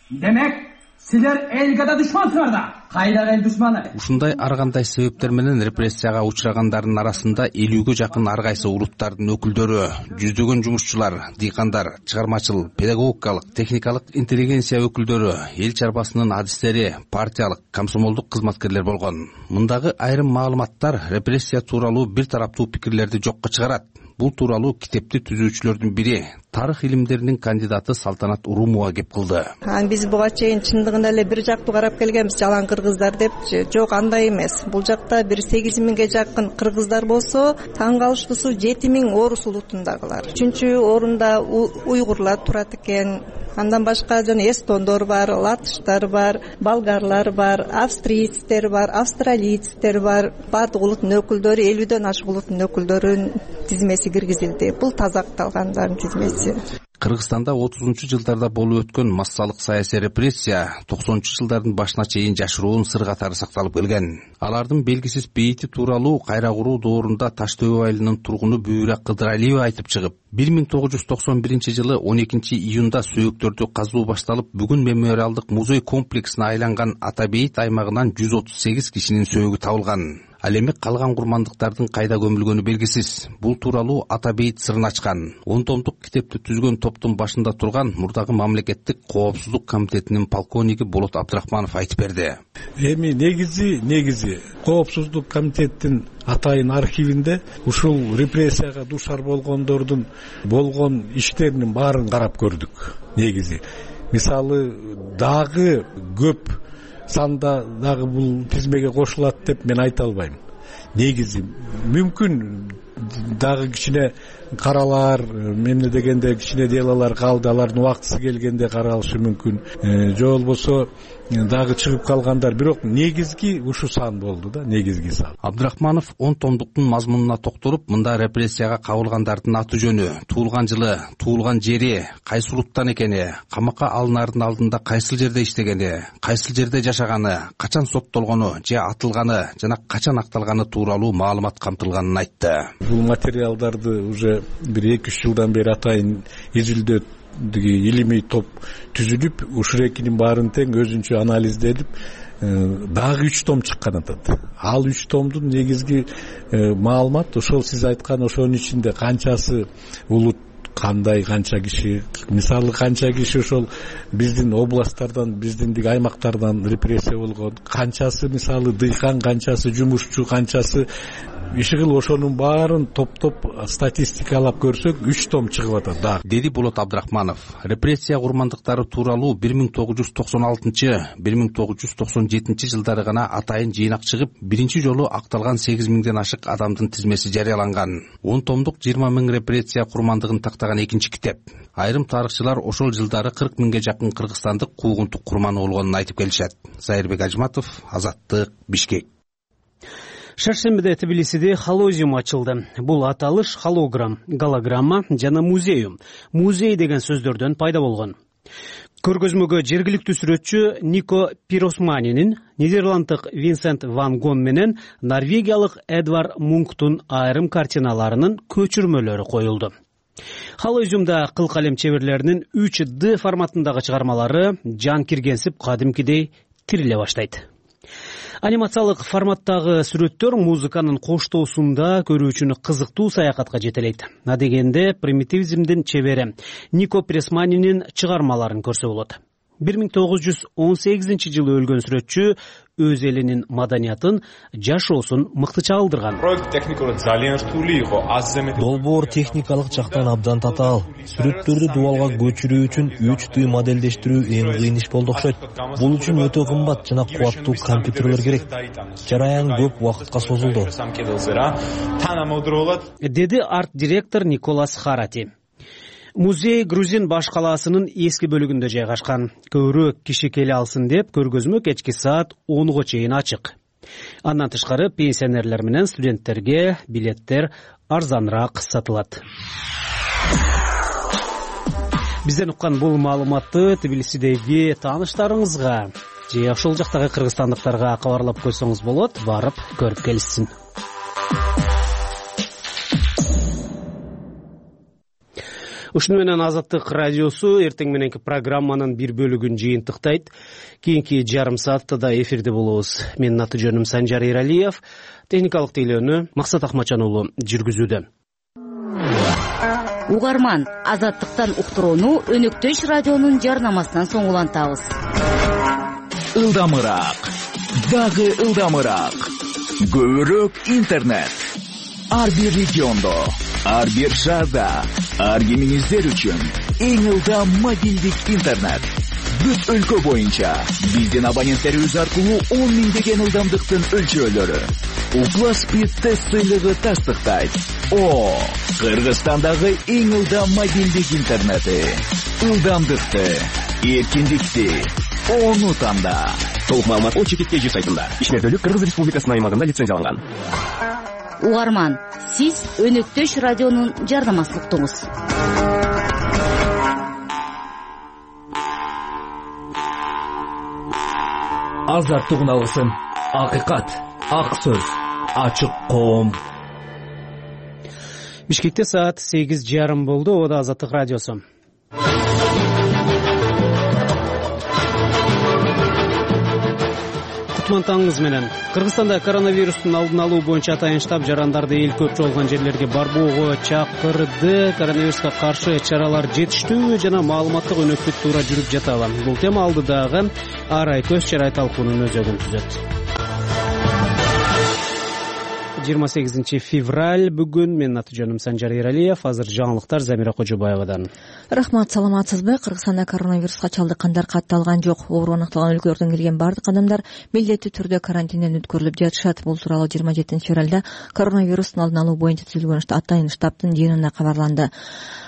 демек силер элге да душмансыңар да. Кайда эл душманы? Ушундай ар кандай себептер менен репрессияга учурагандардын арасында 50ге жакын ар кайсы улуттардын өкүлдөрү, жүздөгөн жумушчулар, дыйкандар, чыгармачыл, педагогикалык, техникалык интеллигенция өкүлдөрү, эл чарбасынын адистери, партиялык, комсомолдук кызматкерлер болгон. Мындагы айрым маалыматтар репрессия тууралуу бир тараптуу пикирлерди жокко чыгарат. Бул тууралуу китепти түзүүчүлөрдүн бири тарых илимдеринин кандидаты Салтанат Урумова кеп кылды. Биз буга чейин чындыгында эле бир жактуу карап келгенбиз, жалаң кыргыздар деп. Жок, андай эмес. Бул жакта бир 8.000ге жакын кыргыздар болсо, таң калыштуусу 7.000 орус улутундагылар. 3-орунда уйгурлар турат экен. Андан башка жана эстондор бар, латыштар бар, болгарлар бар, австрийцтер бар, австралийцтер бар. Бардык улуттун өкүлдөрү, 50дөн ашык улуттун өкүлдөрүнүн тизмеси киргизилди. Бул таза акталгандардын тизмеси. Кыргызстанда 30-жылдарда болуп өткөн массалык саясий репрессия 90-жылдардын башына чейин жашыруун сыр катары сакталып келген. Алардын белгисиз бейити тууралуу кайра куруу доорунда Таш Төбө айылынын тургуну Бүйрөк Кыдыралиева айтып чыгып, 1991-жылы 12-июнда сөөктөрдү казуу башталып, бүгүн мемориалдык музей комплексине айланган Ата бейит аймагынан 138 кишинин сөөгү табылган. Ал эми калган курмандыктардын кайда көмүлгөнү белгисиз. Бул тууралуу Ата бейит сырын ачкан 10 томдук китепти түзгөн топтун башында турган мурдагы мамлекеттик коопсуздук комитетинин полковниги Болот Абдрахманов айтып берди. Эми негизи коопсуздук комитеттин атайын архивинде ушул репрессияга дуушар болгондордун болгон иштеринин баарын карап көрдүк. Негизи мисалы дагы көп санда дагы бул тизмеге кошулат деп мен айта албайм. Негизи мүмкүн дагы кичине каралар, эмне дегенде кичине делалар калды, алардын убактысы келгенде каралышы мүмкүн. Же болбосо дагы чыгып калгандар, бирок негизги ушу сан болду да, негизги сан. Абдрахманов 10 томдуктун мазмунуна токтолуп, мында репрессияга кабылгандардын аты жөнү, туулган жылы, туулган жери, кайсы улуттан экени, камакка алынаардын алдында кайсыл жерде иштегени, кайсыл жерде жашаганы, качан соттолгону же атылганы жана качан акталганы тууралуу маалымат камтылганын айтты. Бул материалдарды уже бир 2-3 жылдан бери атайын изилдөө илимий топ түзүлүп, ушул экинин баарын тең өзүнчө анализдедип, дагы 3 том чыккан атат. Ал 3 томдун негизги маалымат ошол сиз айткан ошонун ичинде канчасы улут, кандай, канча киши, мисалы канча киши ошол биздин областтардан, биздин аймактардан репрессия болгон, канчасы мисалы дыйкан, канчасы жумушчу, канчасы ишигил, ошонун баарын топтоп статистикалап көрсөк 3 том чыгып атат да, деди Болот Абдрахманов. Репрессия курмандыктары тууралуу 1996-1997 жылдары гана атайын жыйнак чыгып, биринчи жолу акталган 8.000ден ашык адамдын тизмеси жарыяланган. 10 томдук 20.000 репрессия курмандыгын тактаган экинчи китеп. Айрым тарыхчылар ошол жылдары 40.000ге жакын кыргызстандык куугунтук курманы болгонун айтып келишет. Зайырбек Ажматов, Азаттык, Бишкек. Шаршембиде Тбилисиде холозиум ачылды. Бул аталыш холограмм, голограмма жана музею. Музей деген сөздөрдөн пайда болгон. Көргөзмөгө жергиликтүү сүрөтчү Нико Пиросманинин, нидерланддык Винсент ван Гон менен норвегиялык Эдвард Мунктун айрым картиналарынын көчүрмөлөрү коюлду. Холозиумда кыл калем чеберлеринин 3D форматындагы чыгармалары жан киргенсип кадимкидей тириле баштайт. Анимациялык форматтагы сүрөттөр музыканын коштоосунда көрүүчүнү кызыктуу саякатка жетелейт. Адегенде примитивизмдин чебери Нико Пиросманинин чыгармаларын көрсө болот. 1918 жылы өлгөн сүрөтчү өз элинин маданиятын, жашоосун мыкты чагылдырган. Долбоор техникалык жактан абдан татаал. Сүрөттөрдү дубалга көчүрүү үчүн 3D модельдештирүү эң кыйын иш болду окшойт. Бул үчүн өтө кымбат жана кубаттуу компьютерлер керек. Жараян көп убакытка созулду, деди арт-директор Николас Харати. Музей Грузин баш калаасынын эски бөлүгүндө жайгашкан. Көбүрөөк киши келе алсын деп көргөзмө кечки саат 10го чейин ачык. Андан тышкары пенсионерлер менен студенттерге билеттер арзаныраак сатылат. Бизден уккан бул маалыматты Тбилисидеги тааныштарыңызга же ошол жактагы кыргызстандыктарга кабарлап койсоңуз болот, барып көрүп келишсин. Ушуну менен Азаттык радиосу эртең мененки программанын бир бөлүгүн жыйынтыктайт. Кийинки жарым саатта да эфирде болобуз. Менин аты жөнүм Санжар Эралиев, техникалык тейлөөнү Максат Акмачан уулу жүргүзүүдө. Угарман, Азаттыктан уктурууну Өнөктөш радионун жарнамасынан соң улантабыз. Ылдамыраак, дагы ылдамыраак. Көбүрөөк интернет. Ар бир региондо, ар бир шаарда, ар кимиңиздер үчүн эң ылдам мобилдик интернет. Бүт өлкө боюнча биздин абоненттерибиз аркылуу 10 миңдеген ылдамдыктын өлчөөлөрү. Упласпид тест сыйлыгы тастыктайт. Кыргызстандагы эң ылдам мобилдик интернети. Ылдамдыкты, эркиндикти, ону танда. Толук маалымат ОЧК сайтында. Ишмердүүлүк Кыргыз Республикасынын аймагында лицензияланган. Угарман, сиз Өнөктөш радионун жардамасын уктуңуз. Азаттык алгысын. Акыйкат, ак сөз, ачык коом. Бишкекте саат 8:30 болду. Ода Азаттык радиосу. Кутман таңыңыз менен. Кыргызстанда коронавирустун алдын алуу боюнча атайын штаб жарандарды эл көп чогулган жерлерге барбоого чакырды. Коронавируска каршы чаралар жетиштүү жана маалыматтык өнөктүк туура жүрүп жатабы? Бул тема алдыдагы ар ай көз чарай талкуунун өзөгүн түзөт. 28 февраль бүгүн. Менин аты жөнүм Санжар Эралиев. Азыр жаңылыктар Замира Кожобаевадан. Рахмат, саламатсызбы? Кыргызстанда коронавируска чалдыккандар катталган жок. Оору аныкталган өлкөлөрдөн келген бардык адамдар милдеттүү түрдө карантинден өткөрүлүп жатышат. Бул тууралуу 27 февралда коронавирустун алдын алуу боюнча түзүлгөн атайын штабтын жыйынында кабарланды.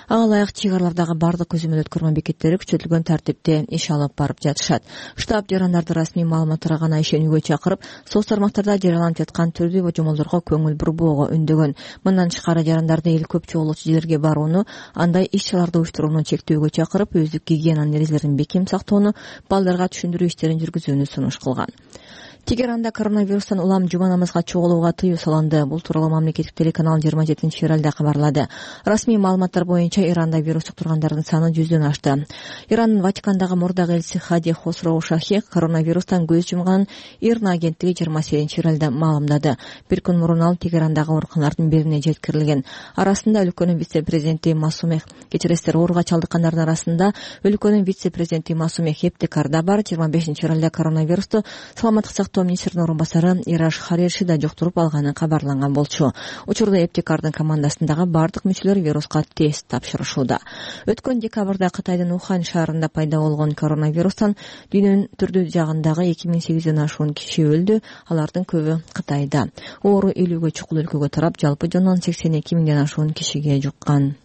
Ага ылайык чыгаралардагы бардык көзөмөл өткөрмө бекеттери күчөтүлгөн тартипте иш алып барып жатышат. Штаб жарандарды расмий маалыматтарга гана ишенүүгө чакырып, соц тармактарда жарыяланып жаткан түрдүү божомолдорго көңүл бурбоого үндөгөн. Мындан тышкары жарандарды эл көп чогулуучу жерлерге барууну, андай иш-чараларды уюштурууну чектөөгө чакырып, өздүк гигиена эрежелерин бекем сактоону, балдарга түшүндүрүү иштерин жүргүзүүнү сунуш кылган. Тегеранда коронавирустан улам жума намазга чогулууга тыюу салынды. Бул тууралуу мамлекеттик телеканал 27 февралда кабарлады. Расмий маалыматтар боюнча Иранда вирус жуктургандардын саны 100дөн ашты. Ирандын Ватикандагы мурдагы элчиси Хади Хосроу Шахи коронавирустан көз жумган ИРНА агенттиги 28 февралда маалымдады. Бир күн мурун ал Тегерандагы ооруканалардын бирине жеткирилген. Арасында өлкөнүн вице-президенти Масумех, кечиресиздер, ооруга чалдыккандардын арасында өлкөнүн вице-президенти Масумех Эптекар да бар. 25 февралда коронавирусту саламаттык министрдин орун басары Ираш Хареши да жуктуруп алганы кабарланган болчу. Учурда Эптекардын командасындагы бардык мүчөлөр вируска тест тапшырышууда. Өткөн декабрда Кытайдын Ухань шаарында пайда болгон коронавирустан дүйнөнүн түрдүү жагындагы 2800дөн ашуун киши өлдү. Алардын көбү Кытайда. Оору 50ге чукул өлкөгө тарап, жалпы жонунан 82 миңден ашуун кишиге жуккан.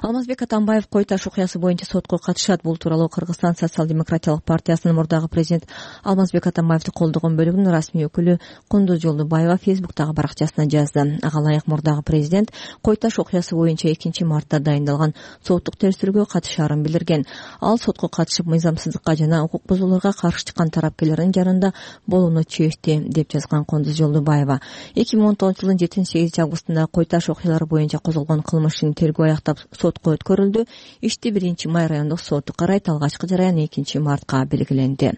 Алмазбек Атамбаев Кой Таш окуясы боюнча сотко катышат. Бул тууралуу Кыргызстан социал-демократиялык партиясынын мурдагы президент Алмазбек Атамбаевди колдогон бөлүгүнүн расмий өкүлү Кундуз Жолдубаева Фейсбуктагы баракчасына жазды. Ага ылайык мурдагы президент Кой Таш окуясы боюнча 2-мартта дайындалган соттук териштирүүгө катышаарын билдирген. Ал сотко катышып, мыйзамсыздыкка жана укук бузууларга каршы чыккан тарапкерлердин жанында болууну чечти, деп жазган Кундуз Жолдубаева. 2019 жылдын 7-8 августунда Кой Таш окуялары боюнча козголгон кылмыш ишин тергөө аяктап сотко өткөрүлдү. Ишти 1-май райондук соту карайт. Алгачкы жараян 2-мартка белгиленди.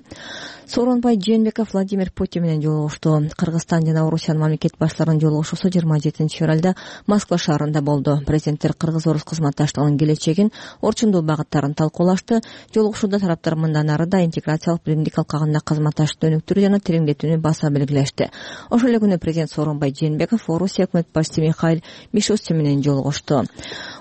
Сооронбай Жээнбеков Владимир Путин менен жолугушту. Кыргызстан жана Орусиянын мамлекет баштарынын жолугушуусу 27 февралда Москва шаарында болду. Президенттер кыргыз-орус кызматташтыгынын келечегин, орчундуу багыттарын талкуулашты. Жолугушууда тараптар мындан ары да интеграциялык биримдик алкагында кызматташтыкты өнүктүрүү жана тереңдетүүнү баса белгилешти. Ошол эле күнү президент Сооронбай Жээнбеков Орусия өкмөт башчысы Михаил Мишустин менен жолугушту.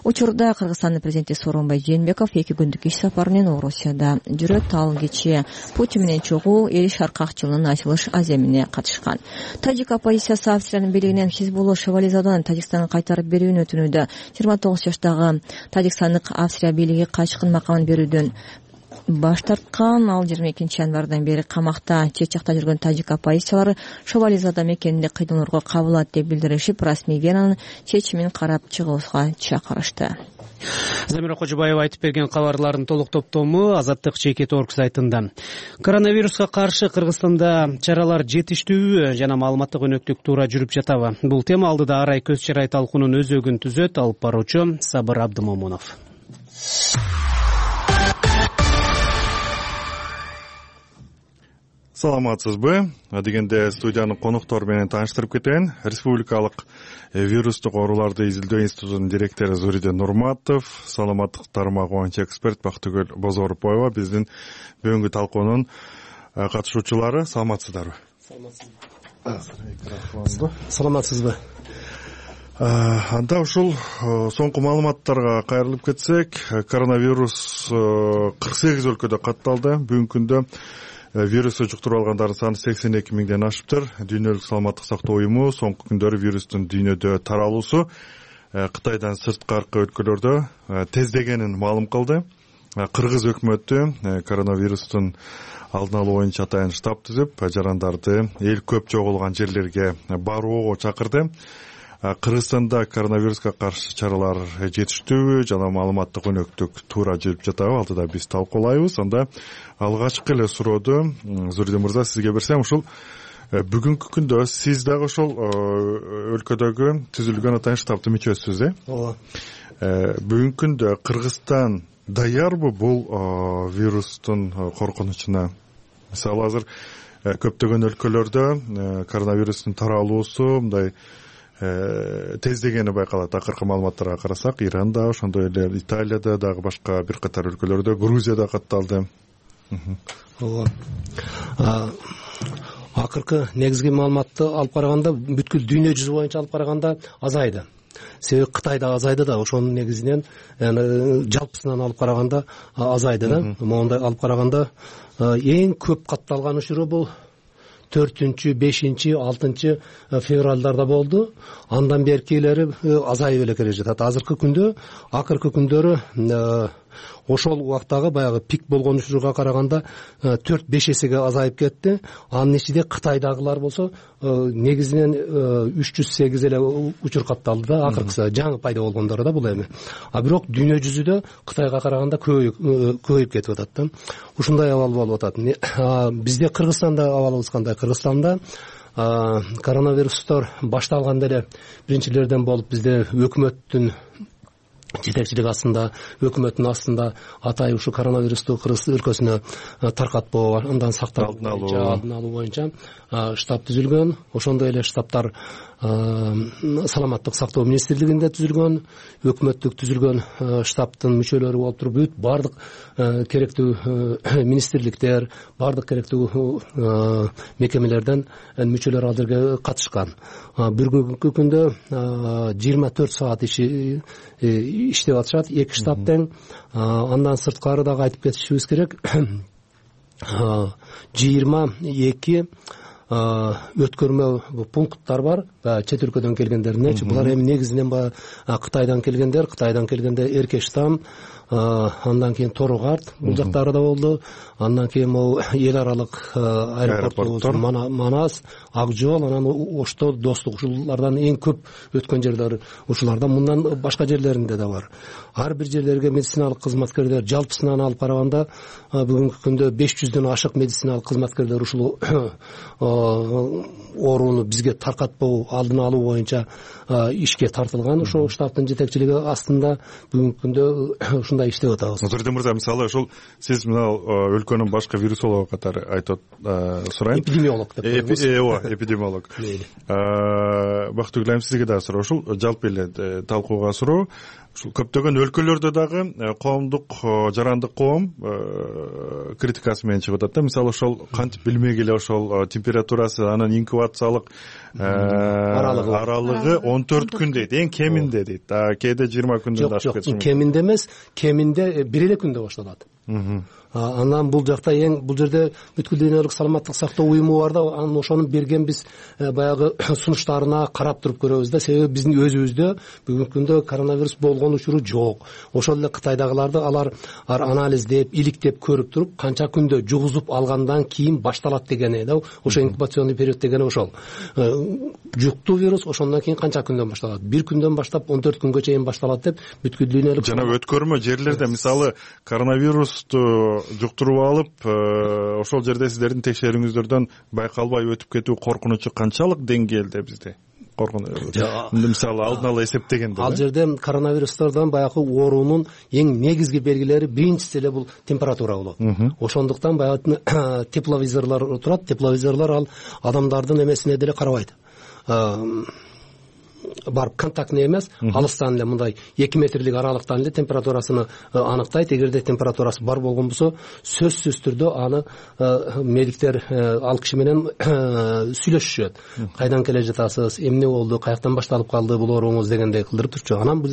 Учурда Кыргызстандын президенти Сооронбай Жээнбеков 2 күндүк иш сапары менен Орусияда жүрөт. Ал кечээ Путин менен чогуу Эл Шаркак жылынын ачылыш аземине катышкан. Тажик оппозициясы Австриянын бийлигинен Хизбулла Шевализадан Тажикстанга кайтарып берүүнү өтүнүүдө. 29 жаштагы тажикстандык Австрия бийлиги качкын макамын берүүдөн баш тарткан. Ал 22 январдан бери камакта. Чет жакта жүргөн тажик оппозициялары Шевализада мекенинде кыйдалоорго кабыл алат деп билдиришип, расмий Венанын чечимин карап чыгууга чакырышты. Замира Кожобаева айтып берген кабарлардын толук топтому Азаттык ЧК.org сайтында. Коронавируска каршы Кыргызстанда чаралар жетиштүү жана маалыматтык өнөктүк туура жүрүп жатабы? Бул тема алдыда ар ай көз чарай талкуунун өзөгүн түзөт. Алып баруучу Сабыр Абдымомунов. Саламатсызбы? Дегенде студиянын коноктору менен тааныштырып кетейин. Республикалык вирустук ооруларды изилдөө институтунун директору Зуриден Нурматов, саламаттык тармагы боюнча эксперт Бактыгүл Бозоруповага биздин бүгүнкү талкуунун катышуучулары. Саламатсыздарбы? Саламатсызбы. Анда ушул соңку маалыматтарга кайрылып кетсек, коронавирус 48 өлкөдө катталды. Бүгүнкү күндө вирусту жуктуруп алгандардын саны 82 миңден ашыптыр. Дүйнөлүк саламаттык сактоо уюму соңку күндөрү вирустун дүйнөдө таралуусу Кытайдан сырткаркы өлкөлөрдө тездегенин маалым кылды. Кыргыз өкмөтү коронавирустун алдын алуу боюнча атайын штаб түзүп, жарандарды эл көп чогулган жерлерге барууга чакырды. Кыргызстанда коронавируска каршы чаралар жетиштүүбү жана маалыматтык өнөктүк туура жүрүп жатабы, алдыда биз талкуулайбыз. Анда алгачкы эле сурооду Зуриде мырза сизге берсем, ушул бүгүнкү күндө сиз дагы ошол өлкөдөгү түзүлгөн атайын штабтын мүчөсүсүз, ооба. Бүгүнкү күндө Кыргызстан даярбы бул вирустун коркунучуна? Мисалы азыр көптөгөн өлкөлөрдө коронавирустун таралуусу мындай тездегени байкалат. Акыркы маалыматтарга карасак, Иранда, ошондой эле Италияда, дагы башка бир катар өлкөлөрдө, Грузияда катталды. Ооба. Акыркы негизги маалыматты алып караганда, бүткүл дүйнө жүзү боюнча алып караганда азайды. Себеби Кытайда азайды да, ошонун негизинен жалпысынан алып караганда азайды да. Мондай алып караганда эң көп катталган учуру бул 4-5, 6 февралдарда болду. Андан беркилери азайып эле келе жатат. Азыркы күндө, акыркы күндөрү ошол убактагы баягы пик болгон учурга караганда 4-5 эсеге азайып кетти. Анын ичинде Кытайдагылар болсо негизинен 308 эле учур катталды да, акыркысы жаңы пайда болгондору да бул эми. А бирок дүйнө жүзүдө Кытайга караганда көбөйүп кетип атат да. Ушундай абал болуп атат. Бизде Кыргызстанда абалыбыз кандай? Кыргызстанда коронавирустор башталганда эле биринчилерден болуп бизде өкмөттүн жетекчилиги астында, өкмөттүн астында атай ушу коронавирусту Кыргыз өлкөсүнө таркатпоо, андан сактоо алдын алуу боюнча штаб түзүлгөн. Ошондой эле штабтар саламаттык сактоо министрлигинде түзүлгөн, өкмөттүк түзүлгөн штабтын мүчөлөрү болуп туруп, бүт бардык керектүү министрликтер, бардык керектүү мекемелерден мүчөлөр ал жерге катышкан. Бүгүнкү күндө 24 саат иштеп атышат, 2 штаб тең. Андан сырткары дагы айтып кетишибиз керек. 22 өткөрмө пункттар бар, чет өлкөдөн келгендердин. Булар эми негизинен Кытайдан келгенде Эркештам, андан кийин Торугарт бул жактарда болду. Андан кийин могу эл аралык аэропорттор, Манас, Ак жол, анан Ошто, Достук, ушулардан эң көп өткөн жерлер ушулардан. Мындан башка жерлеринде да бар. Ар бир жерлерге медициналык кызматкерлер жалпысынан алып караганда бүгүнкү күндө 500дөн ашык медициналык кызматкерлер ушул ооруну бизге таркатпоо, алдын алуу боюнча ишке тартылган. Ошол штабтын жетекчилиги астында бүгүнкү күндө ушундай иштеп атабыз. Зуриде мырза, мисалы ушул сиз мына өлкөнүн башкы вирусологу катары айтып сурайын. Эпидемиолог деп коебуз. Эпидемиолог. Бактыгүл айым, сизге дагы суроо. Ушул жалпы эле талкууга суроо. Ушул көптөгөн өлкөлөрдө дагы коомдук жарандык коом критикасы менен чыгып атат да. Мисалы ошол кантип билмек эле ошол температурасы, анан инкубациялык аралыгы 14 күн дейт, эң кеминде дейт. Кээде 20 күндөн ашып кетиши мүмкүн. Жок, кеминде эмес, кеминде 1 эле күндө башталат. Анан бул жакта бул жерде бүткүл дүйнөлүк саламаттык сактоо уюму бар да, анан ошонун берген биз баягы сунуштарына карап туруп көрөбүз да. Себеби биздин өзүбүздө бүгүнкү күндө коронавирус болгон учуру жок. Ошол эле Кытайдагыларды алар анализдеп, иликтеп көрүп туруп, канча күндө жугузуп алгандан кийин башталат дегени да. Ошо инкубационный период дегени ошол. Жуктуу вирус ошондон кийин канча күндөн башталат? 1 күндөн баштап 14 күнгө чейин башталат деп бүткүл дүйнөлүк жана өткөрмө жерлерде мисалы коронавирусту жуктуруп алып, ошол жерде сиздердин текшерүүңүздөрдөн байкалбай өтүп кетүү коркунучу канчалык деңгээлде бизде? Мисалы алдын ала эсептегенде. Ал жерде коронавирустордон баягы оорунун эң негизги белгилери биринчиси эле бул температура болот. Ошондуктан баягы тепловизорлор турат. Тепловизорлор ал адамдардын эмесине деле карабайт. барып контактный эмес, алыстан эле мындай 2 метрлик аралыктан эле температурасыны аныктайт. Эгерде температурасы бар болгон болсо, сөзсүз түрдө аны медиктер ал киши менен сүйлөшүшөт. Кайдан келе жатасыз, эмне болду, каяктан башталып калды бул ооруңуз дегендей кылдырып турчу. Анан бул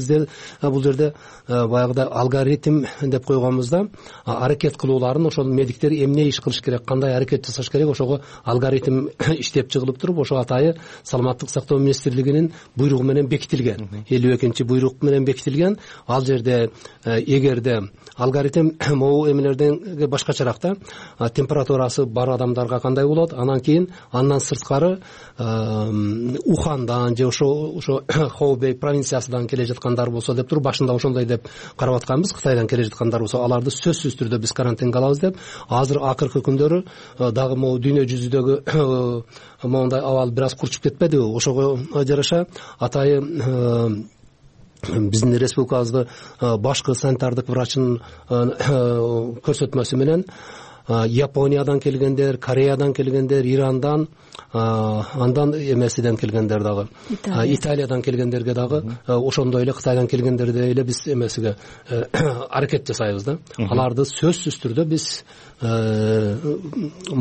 жерде баягыда алгоритм деп койгонбузда аракет кылууларын ошол медиктер эмне иш кылыш керек, кандай аракет жасаш керек, ошого алгоритм иштеп чыгылып туруп, ошо атайы саламаттык сактоо министрлигинин буйругу менен бекитилген. 52 буйрук менен бекитилген. Ал жерде эгерде алгоритм могу эмелерден башкачараак да, температурасы бар адамдарга кандай болот, анан кийин андан сырткары Ухандан же ошо Хоубей провинциясынан келе жаткандар болсо деп туруп башында ошондой деп карап атканбыз. Кытайдан келе жаткандар болсо аларды сөзсүз түрдө биз карантинге алабыз деп. Азыр акыркы күндөрү дагы могу дүйнө жүзүдөгү моундай абал бир аз курчуп кетпедиби? Ошого жараша атайы биздин республикабызды башкы санитардык врачынын көрсөтмөсү менен Япониядан келгендер, Кореядан келгендер, Ирандан, андан эмесиден келгендер дагы, Италиядан келгендерге дагы ошондой эле Кытайдан келгендерде эле биз эмесиге аракет жасайбыз да. Аларды сөзсүз түрдө биз 14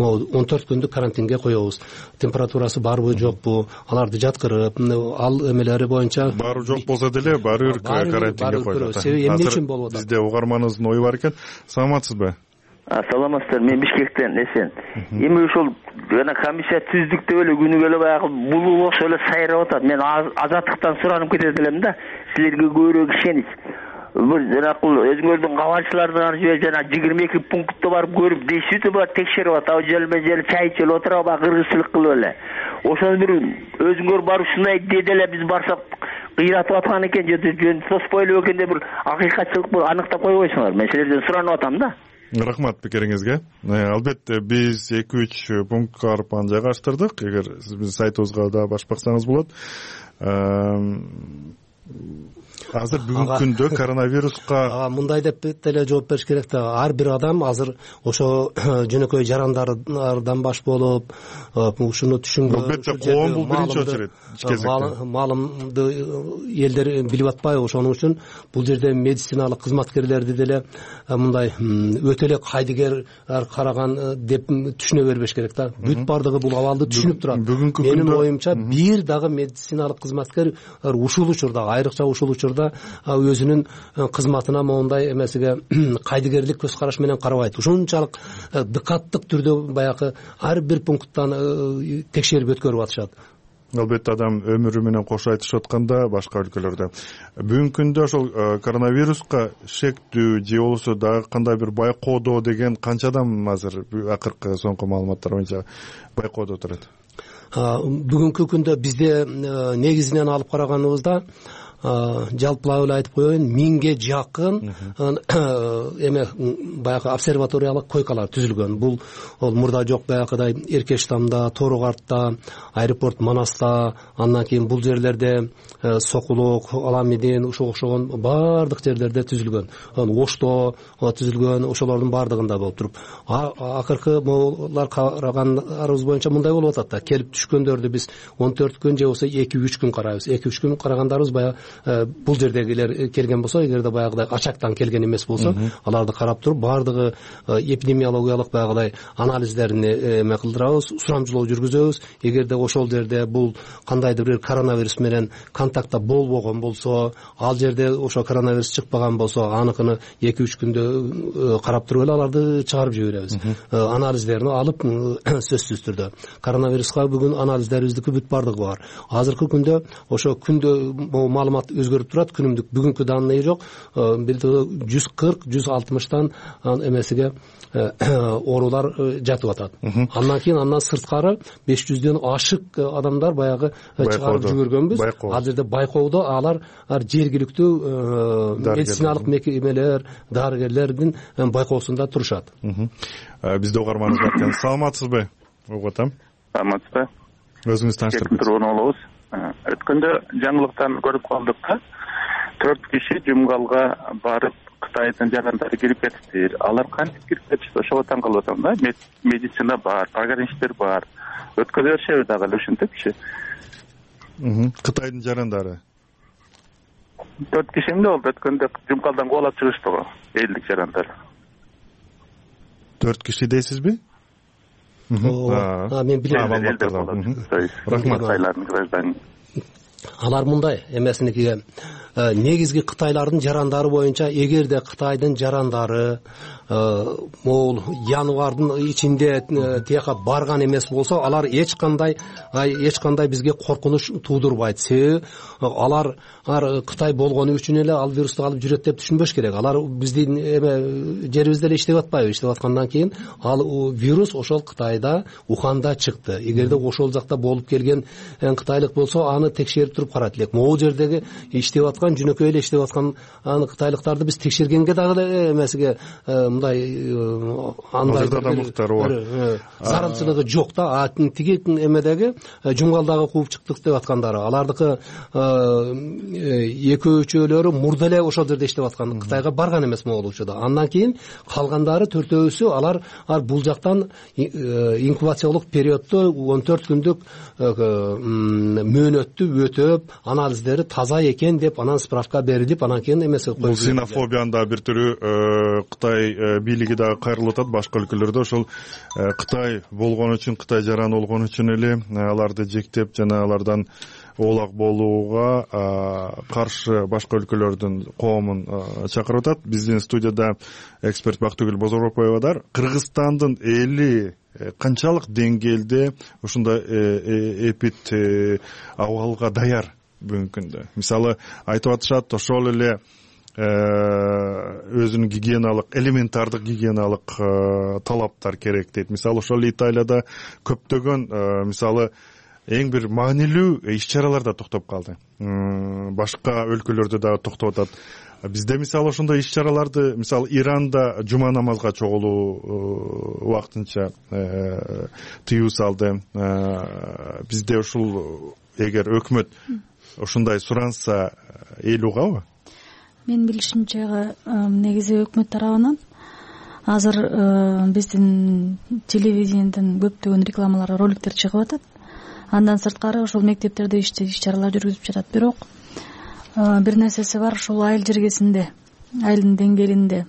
күндүк карантинге коебуз. Температурасы барбы жокпу, аларды жаткырып, ал эмелери боюнча баары жок болсо деле баары бир карантинге коюлат. Себеби эмне үчүн болуп атат? Бизде угарманыбыздын ою бар экен. Саламатсызбы? Саламатсыздар, мен Бишкектен эсен. Эми ошол жана комиссия түздүк деп эле күнүгө эле баягы булуу окшо эле сайрап атат. Мен Азаттыктан суранып кетет элем да, силерге көбүрөөк ишенич. Бул жанакыл өзүңөрдүн кабарчылардан же жана 22 пунктта барып көрүп дейсиз бар текшерип атат. Жел чай ичип отуруп кыргызчылык кылып эле. Ошону бир өзүңөр барып ушундай деди эле биз барсак кыйратып аткан экен, жөн тоспой эле экен деп бир акыйкатчылык аныктап койбойсуңар. Мен силерден суранып атам да. Рахмат пикириңизге. Албетте биз 2-3 пунктка барып аны жайгаштырдык. Эгер сиз биздин сайтыбызга да башып баксаңыз болот. Азыр бүгүнкү күндө коронавируска мындай деп деле жооп бериш керек да. Ар бир адам азыр ошо жөнөкөй жарандардан баш болуп, ушуну түшүнгөн. Албетте коом бул биринчи очередь маалымды элдер билип атпайбы? Ошону үчүн бул жерде медициналык кызматкерлерди деле мындай өтө эле кайдыгер караган деп түшүнө бербеш керек да. Бүт бардыгы бул абалды түшүнүп турат. Менин оюмча бир дагы медициналык кызматкер ушул учурда, айрыкча ушул учурда өзүнүн кызматына моундай эмесиге кайдыгерлик көз караш менен карабайт. Ушунчалык дыкаттык түрдө баягы ар бир пункттан текшерип өткөрүп атышат. Албетте адам өмүрү менен кошо айтышып атканда башка өлкөлөрдө бүгүнкү күндө ошол коронавируска шектүү же болбосо дагы кандай бир байкоодо деген канча адам азыр акыркы соңку маалыматтар боюнча байкоодо турат? Бүгүнкү күндө бизде негизинен алып караганыбызда жалпылап эле айтып коеюн, 1000ге жакын эме баягы обсерваториялык койкалар түзүлгөн. Бул мурда жок баягыдай Эркештамда, Торогартта, аэропорт Манаста, андан кийин бул жерлерде Сокулук, Аламидин, ушуга окшогон бардык жерлерде түзүлгөн. Ошто түзүлгөн, ошолордун бардыгында болуп туруп. Акыркы могулар карагандарыбыз боюнча мындай болуп атат да. Келип түшкөндөрдү биз 14 күн же болбосо 2-3 күн карайбыз. 2-3 күн карагандарыбыз баягы бул жердегилер келген болсо, эгерде баягыдай ачактан келген эмес болсо, аларды карап туруп бардыгы эпидемиологиялык баягыдай анализдерин эме кылдырабыз, сурамжылоо жүргүзөбүз. Эгерде ошол жерде бул кандайдыр бир коронавирус менен контактта болбогон болсо, ал жерде ошо коронавирус чыкпаган болсо, аныкын 2-3 күндө карап туруп эле аларды чыгарып жиберебиз. Анализдерин алып сөзсүз түрдө коронавируска бүгүн анализдерибиздики бүт бардыгы бар. Азыркы күндө ошо күндө маалымат өзгөрүп турат. Күнүмдүк бүгүнкү данные жок. 140-160тан эмесиге оорулар жатып атат. Андан сырткары 500дөн ашык адамдар баягы чыгарып жүгөргөнбүз. Ал жерде байкоодо алар жергиликтүү медициналык мекемелер, дарыгерлердин байкоосунда турушат. Бизде угарманыбыз бар экен. Саламатсызбы? Угатам. Саламатсызбы? Өзүңүз тааныштырып кетиңиз. Өткөндө жаңылыктан көрүп калдык да, 4 киши жумгалга барып Кытайдын жарандары кирип кетиптир. Алар кантип кирип кетишти? Ошого таң калып атам да. Медицина бар, пограничтер бар. Өткөрө беришеби дагы эле ушинтип киши? Кытайдын жарандары 4 киши эмне болду? Өткөндө жумкалдан кубалап чыгышты го элдик жарандар. 4 киши дейсизби? Мен билем. Рахмат. Кытайлардын граждане. Алар мындай эмесиникиге негизги кытайлардын жарандары боюнча эгерде кытайдын жарандары могул январдын ичинде тияка барган эмес болсо, алар эч кандай бизге коркунуч туудурбайт. Себеби алар Кытай болгону үчүн эле ал вирусту алып жүрөт деп түшүнбөш керек. Алар биздин жерибизде эле иштеп атпайбы? Иштеп аткандан кийин ал вирус ошол Кытайда, Уханда чыкты. Эгерде ошол жакта болуп келген кытайлык болсо, аны текшерип туруп карайт элек. Могул жердеги иштеп аткан, жөнөкөй эле иштеп аткан кытайлыктарды биз текшергенге дагы эмесиге мындай андай зарылчылыгы жок да. Тиги эмедеги жумгалдагы кууп чыктык деп аткандары, алардыкы экөө-үчөөлөрү мурда эле ошол жерде иштеп аткан, Кытайга барган эмес могул учурда. Андан кийин калгандары 4-өөсү алар бул жактан инкубациялык периоддо 14 күндүк мөөнөттү өтөп, анализдери таза экен деп анан справка берилип, анан кийин эмеси коюп. Бул ксенофобиянын да бир түрү Кытай бийлиги дагы кайрылып атат. Башка өлкөлөрдө ошол Кытай болгон үчүн, Кытай жараны болгон үчүн эле аларды жектеп жана алардан оолак болууга каршы башка өлкөлөрдүн коомун чакырып атат. Биздин студияда эксперт Бактыгүл Бозоропоева бар. Кыргызстандын эли канчалык деңгээлде ушундай эпид абалга даяр бүгүнкү күндө? Мисалы айтып атышат, ошол эле өзүнүн гигиеналык, элементардык гигиеналык талаптар керек дейт. Мисалы ошол Италияда көптөгөн мисалы эң бир маанилүү иш-чаралар да токтоп калды. Башка өлкөлөрдө дагы токтоп атат. Бизде мисалы ошондой иш-чараларды, мисалы Иранда жума намазга чогулуу убактынча тыюу салды. Бизде ушул эгер өкмөт ушундай суранса эл угабы? Мен билишимче негизи өкмөт тарабынан азыр биздин телевидениеден көптөгөн рекламалар, роликтер чыгып атат. Андан сырткары ошол мектептерде иш-чаралар жүргүзүп жатат. Бирок бир нерсеси бар, ошол айыл жергесинде, айылдын деңгээлинде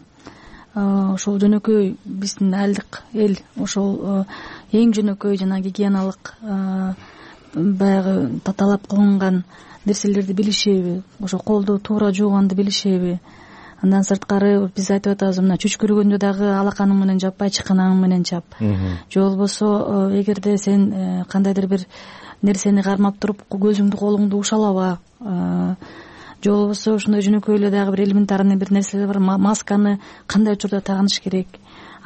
ошол жөнөкөй биздин айылдык эл ошол эң жөнөкөй жана гигиеналык баягы талап кылынган нерселерди билишеби, ошо колду туура жууганды билишеби. Андан сырткары биз айтып атабыз, мына чүчкүргөндө дагы алаканың менен жаппай, чыканаңың менен чап. Же болбосо эгерде сен кандайдыр бир нерсени кармап туруп көзүңдү, колуңду ушалаба. Же болбосо ушундай жөнөкөй эле дагы бир элементарный бир нерселер бар. Масканы кандай учурда тагыныш керек?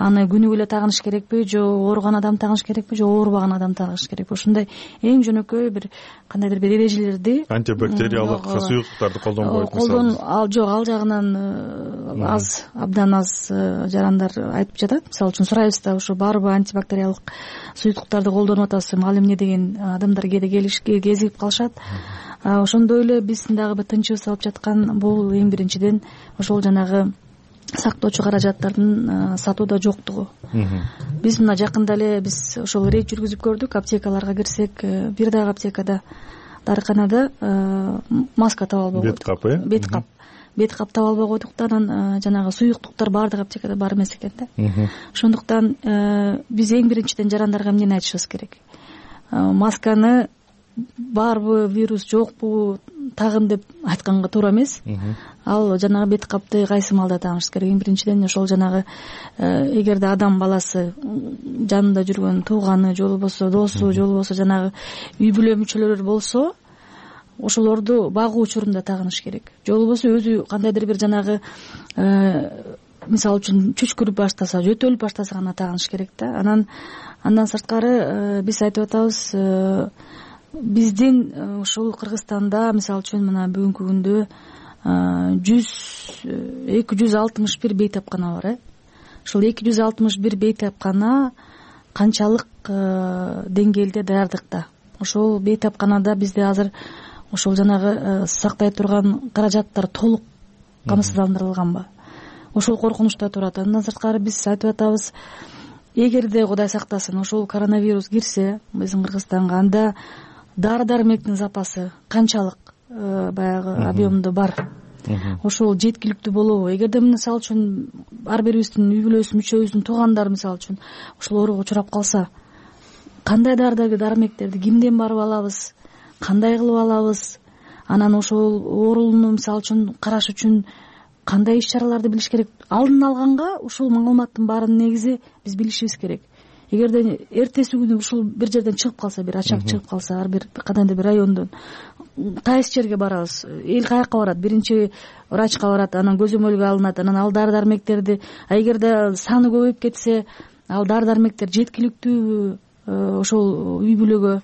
Аны күнүгө эле тагыныш керекпи, же ооруган адам тагыныш керекпи, же оорубаган адам тагыныш керекпи? Ошондой эң жөнөкөй бир кандайдыр бир эрежелерди, антибактериялык суюктуктарды колдонбойт. Жок, ал жагынан абдан аз жарандар айтып жатат. Мисалы үчүн сурайбыз да, ушу баарыбы антибактериялык суюктуктарды колдонуп атасызбы? Ал эмне деген адамдар кээде кезигип калышат. Ошондой эле биздин дагы бир тынчыбыз алып жаткан бул эң биринчиден ошол жанагы сактоочу каражаттардын сатууда жоктугу. Биз мына жакында эле биз ошол рейд жүргүзүп көрдүк. Аптекаларга кирсек, бир дагы аптекада, дарыканада маска таба албай койдук. Бет кап таба албай койдук да, анан жанагы суюктуктар баардык аптекада бар эмес экен да. Ошондуктан биз эң биринчиден жарандарга эмнени айтышыбыз керек? Масканы барбы, вирус жокпу, тагын деп айтканга туура эмес. Ал жанагы бет капты кайсы маалда тагыныш керек? Эң биринчиден ошол жанагы эгерде адам баласы жанында жүргөн тууганы, же болбосо досу, же болбосо жанагы үй бүлө мүчөлөрү болсо, ошолорду багуу учурунда тагыныш керек. Же болбосо өзү кандайдыр бир жанагы мисалы үчүн чүчкүрүп баштаса, жөтөлүп баштаса гана тагыныш керек да. Андан сырткары биз айтып атабыз, биздин ушул Кыргызстанда мисалы үчүн мына бүгүнкү күндө 261 бейтапкана бар. Ушул 261 бейтапкана канчалык деңгээлде даярдыкта? Ошол бейтапканада бизде азыр ошол жанагы сактай турган каражаттар толук камсыздандырылганбы? Ошол коркунучта турат. Андан сырткары биз айтып атабыз, эгерде Кудай сактасын ошол коронавирус кирсе биздин Кыргызстанга, анда дары дармектин запасы канчалык баягы объемдо бар, ошол жеткиликтүү болобу? Эгерде мисалы үчүн ар бирибиздин үй бүлөбүз мүчөбүздүн туугандары мисалы үчүн ушул ооруга учурап калса, кандай дары дармектерди кимден барып алабыз, кандай кылып алабыз? Анан ошол оорууну мисалы үчүн караш үчүн кандай иш чараларды билиш керек? Алдын алганга ушул маалыматтын баарын негизи биз билишибиз керек. Эгерде эртеси күнү ушул бир жерден чыгып калса, бир ачак чыгып калса, ар бир кандайдыр бир райондон кайсы жерге барабыз? Эл каяка барат? Биринчи врачка барат, анан көзөмөлгө алынат, анан ал дары дармектерди, эгерде саны көбөйүп кетсе, ал дары дармектер жеткиликтүүбү ошол үй бүлөгө?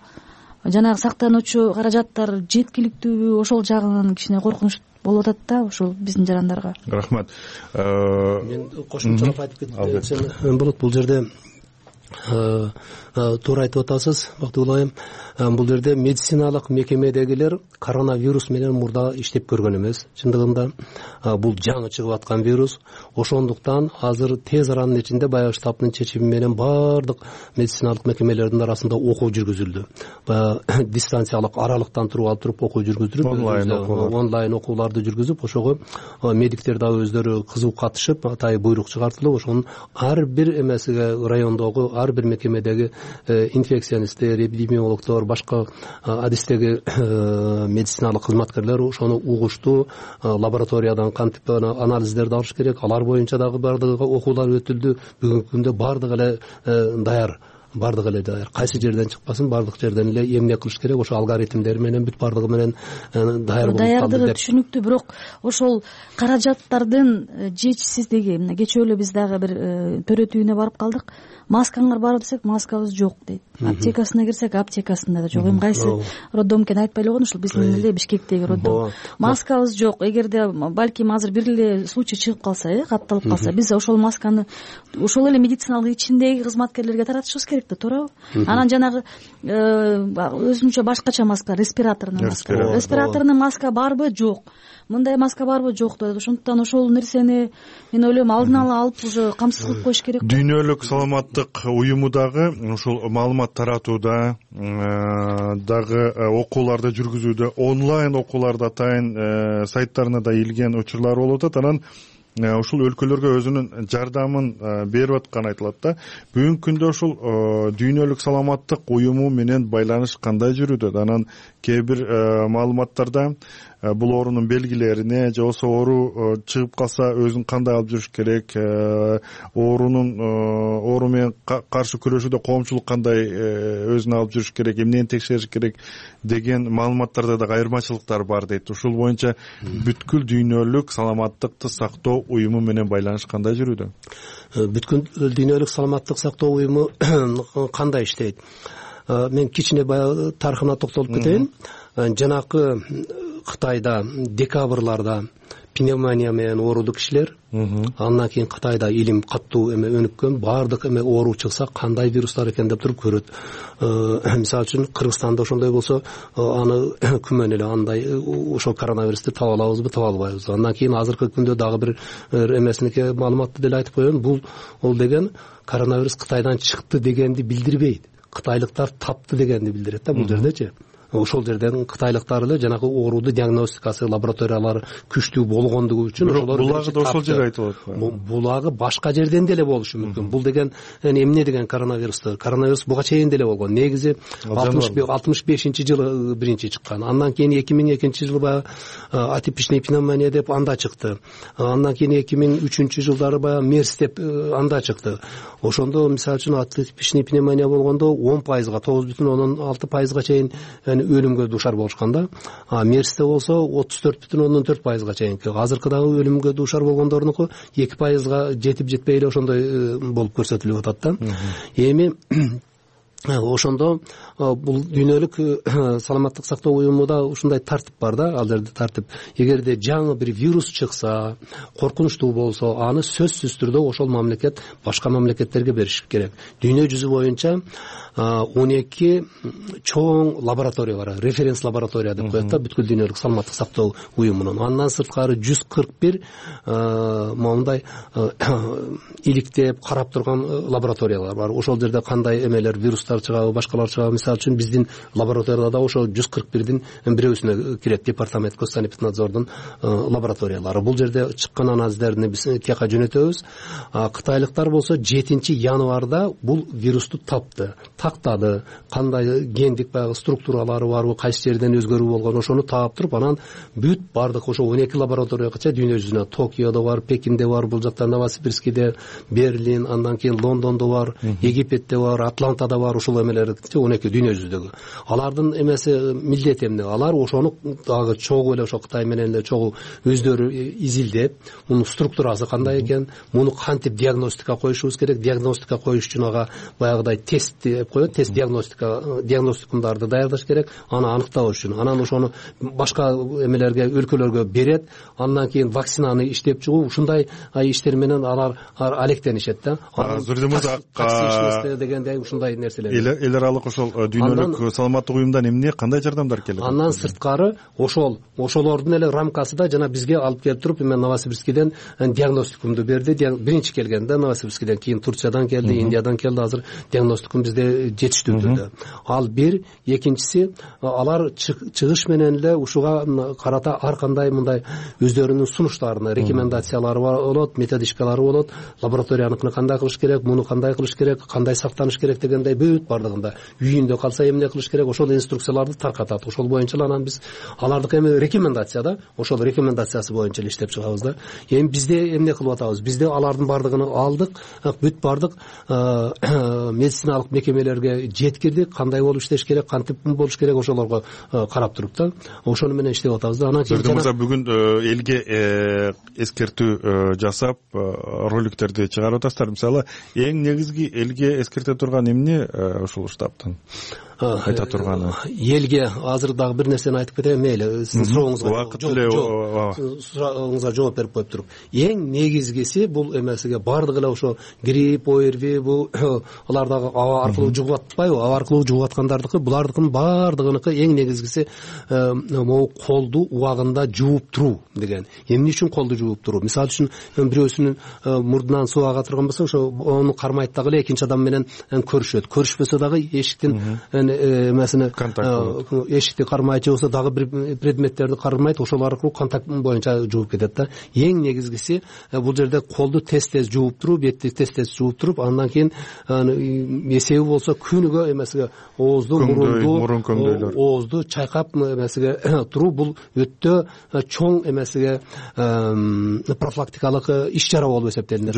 Жанагы сактануучу каражаттар жеткиликтүүбү? Ошол жагынан кичине коркунуч болуп атат да ушул биздин жарандарга. Рахмат. Мен кошумчалап айтып кетсем болот. Бул жерде туура айтып атасыз, Бактыгүл айым. Бул жерде медициналык мекемедегилер коронавирус менен мурда иштеп көргөн эмес. Чындыгында бул жаңы чыгып аткан вирус. Ошондуктан азыр тез аранын ичинде баягы штабтын чечими менен баардык медициналык мекемелердин арасында окуу жүргүзүлдү. Баягы дистанциялык аралыктан туруп алып туруп окуу жүргүздүрүп, онлайн окууларды жүргүзүп, ошого медиктер дагы өздөрү кызуу катышып, атайын буйрук чыгартылып, ошонун ар бир эмесиге райондогу ар бир мекемедеги инфекционисттер, эпидемиологдор, башка адистеги медициналык кызматкерлер ошону угушту. Лабораториядан кантип анализдерди алыш керек, алар боюнча дагы баардыгы окуулар өтүлдү. Бүгүнкү күндө баардыгы эле даяр. Кайсы жерден чыкпасын, баардык жерден эле эмне кылыш керек, ошо алгоритмдер менен бүт баардыгы менен даяр болуп калды. Даярдыгы түшүнүктүү, бирок ошол каражаттардын жетишсиздиги. Мына кечээ эле биз дагы бир төрөт үйүнө барып калдык. Маскаңар бар десек, маскабыз жок дейт. Аптекасына кирсек, аптекасында да жок. Эми кайсы роддом экенин айтпай эле койгон, ушул биздин эле Бишкектеги роддом. Маскабыз жок. Эгерде балким азыр бир эле случай чыгып калса, катталып калса, биз ошол масканы ошол эле медициналык ичиндеги кызматкерлерге таратышыбыз керек да, туурабы? Анан жанагы өзүнчө башкача маска, респираторный маска барбы, жок. Мындай маска барбы, жок дейт. Ошондуктан ошол нерсени мен ойлойм алдын ала алып уже камсыз кылып коюш керек. Дүйнөлүк саламаттык уюму дагы ушул маалымат таратууда, дагы окууларды жүргүзүүдө, онлайн окууларды атайын сайттарына да илген учурлар болуп атат. Анан ушул өлкөлөргө өзүнүн жардамын берип атканы айтылат да. Бүгүнкү күндө ушул дүйнөлүк саламаттык уюму менен байланыш кандай жүрүүдө? Анан кээ бир маалыматтарда бул оорунун белгилерине же болбосо оору чыгып калса өзүн кандай алып жүрүш керек, оору менен каршы күрөшүүдө коомчулук кандай өзүн алып жүрүш керек, эмнени текшериш керек деген маалыматтарда да айырмачылыктар бар дейт. Ушул боюнча бүткүл дүйнөлүк саламаттыкты сактоо уюму менен байланыш кандай жүрүүдө? Бүткүл дүйнөлүк саламаттык сактоо уюму кандай иштейт? Мен кичине баягы тарыхына токтолуп кетейин. Жанакы Кытайда декабрларда пневмония менен оорулуу кишилер, андан кийин Кытайда илим катуу өнүккөн, баардык оору чыкса кандай вирустар экен деп туруп көрөт. Мисалы үчүн Кыргызстанда ошондой болсо, аны күмөн эле андай ошол коронавирусту таба алабызбы, таба албайбызбы. Андан кийин азыркы күндө дагы бир эмесиники маалыматты деле айтып коеюн. Бул деген коронавирус Кытайдан чыкты дегенди билдирбейт. Кытайлыктар тапты дегенди билдирет да бул жердечи. Ошол жерден кытайлыктар эле жанагы оорууду диагностикасы, лабораториялары күчтүү болгондугу үчүн ошолор булагы да ошол жерде айтылат. Булагы башка жерден деле болушу мүмкүн. Бул деген эмне деген коронавирусту? Коронавирус буга чейин деле болгон. Негизи 65-жылы биринчи чыккан. Андан кийин 2002-жылы баягы атипичный пневмония деп анда чыкты. Андан кийин 2003-жылдары баягы мерс деп анда чыкты. Ошондо мисалы үчүн атипичный пневмония болгондо 10%, 9,6% чейин өлүмгө дуушар болушкан да. Мерсте болсо 34,4%га чейинки. Азыркыдагы өлүмгө дуушар болгондордунку 2%га жетип жетпей эле ошондой болуп көрсөтүлүп атат да. Эми ошондо бул дүйнөлүк саламаттык сактоо уюмунда ушундай тартип бар да, ал жерде тартип. Эгерде жаңы бир вирус чыкса, коркунучтуу болсо, аны сөзсүз түрдө ошол мамлекет башка мамлекеттерге бериш керек. Дүйнө жүзү боюнча 12 чоң лаборатория бар, референс лаборатория деп коет да бүткүл дүйнөлүк саламаттык сактоо уюмунун. Андан сырткары 141 моундай иликтеп карап турган лабораториялар бар. Ошол жерде кандай эмелер, вирустар вирустар чыгабы, башкалар чыгабы. Мисалы үчүн биздин лабораторияда да ошо 141-дин бирөөсүнө кирет департамент госсанэпиднадзордун лабораториялары. Бул жерде чыккан анализдерди биз тияка жөнөтөбүз. Кытайлыктар болсо 7-январда бул вирусту тактады. Кандай гендик баягы структуралары барбы, кайсы жерден өзгөрүү болгон, ошону таап туруп, анан бүт бардык ошо 12 лабораторияга дүйнө жүзүнө, Токиодо бар, Пекинде бар, бул жакта Новосибирскиде, Берлин, андан кийин Лондондо бар, Египетте бар, Атлантада бар, ушул эмелер 12 дүйнө жүзүндөгү. Алардын эмеси милдети эмне? Алар ошону дагы чогуу эле ошо Кытай менен эле чогуу өздөрү изилдеп, мунун структурасы кандай экен, муну кантип диагностика коюшубуз керек, диагностика коюш үчүн ага баягыдай тест деп коет, тест диагностикумдарды даярдаш керек, аны аныктабаш үчүн. Анан ошону башка эмелерге, өлкөлөргө берет, андан кийин вакцинаны иштеп чыгуу, ушундай иштер менен алар алектенишет да. Зуридин мырза, дегендей ушундай нерселер. Эл аралык ошол дүйнөлүк саламаттык уюмдан эмне, кандай жардамдар келет? Андан сырткары ошолордун эле рамкасында жана бизге алып келип туруп, эми Новосибирскиден диагностикумду берди. Биринчи келгенде Новосибирскиден, кийин Турциядан келди, Индиядан келди. Азыр диагностикум бизде жетиштүү түрдө. Ал бир, экинчиси, алар чыгыш менен эле ушуга карата ар кандай мындай өздөрүнүн сунуштарына рекомендациялары болот, методичкалары болот. Лабораторияныкын кандай кылыш керек, муну кандай кылыш керек, кандай сактаныш керек дегендей бүт бардыгында. Үйүндө калса эмне кылыш керек, ошол инструкцияларды таркатат. Ошол боюнча анан биз алардык эми рекомендация да, ошол рекомендациясы боюнча иштеп чыгабыз да. Эми бизде эмне кылып атабыз? Бизде алардын бардыгын алдык, бүт бардык медициналык мекемелерге жеткирдик, кандай болуп иштеш керек, кантип болуш керек, ошолорго карап туруп да, ошону менен иштеп атабыз да. Анан кийин бүгүн элге эскертүү жасап роликтерди чыгарып атасыздар. Мисалы, эң негизги элге эскерте турган эмне ушул штабтан айта турганы? Элге азыр дагы бир нерсени айтып кетейин, мейли, сиздин сурооңузга жооп берип коюп туруп. Эң негизгиси бул эмесиге бардыгы эле ошо грипп, ОРВИ, бул алар дагы аба аркылуу жугуп атпайбы? Аба аркылуу жугуп аткандардыкы, булардыкын бардыгыныкы эң негизгиси могу колду убагында жууп туруу деген. Эмне үчүн колду жууп туруу? Мисалы үчүн бирөөсүнүн мурдунан суу ага турган болсо, ошо ону кармайт дагы эле экинчи адам менен көрүшөт. Көрүшпөсө дагы эшиктин эмесине эшикти кармайт, же болбосо дагы бир предметтерди кармайт, ошол аркылуу контакт боюнча жууп кетет да. Эң негизгиси бул жерде колду тез жууп туруп, бетти тез жууп туруп, андан кийин эсеби болсо күнүгө эмесиге оозду, мурунду, оозду чайкап эмесиге туруу, бул өтө чоң эмесиге профилактикалык иш-чара болуп эсептелинет.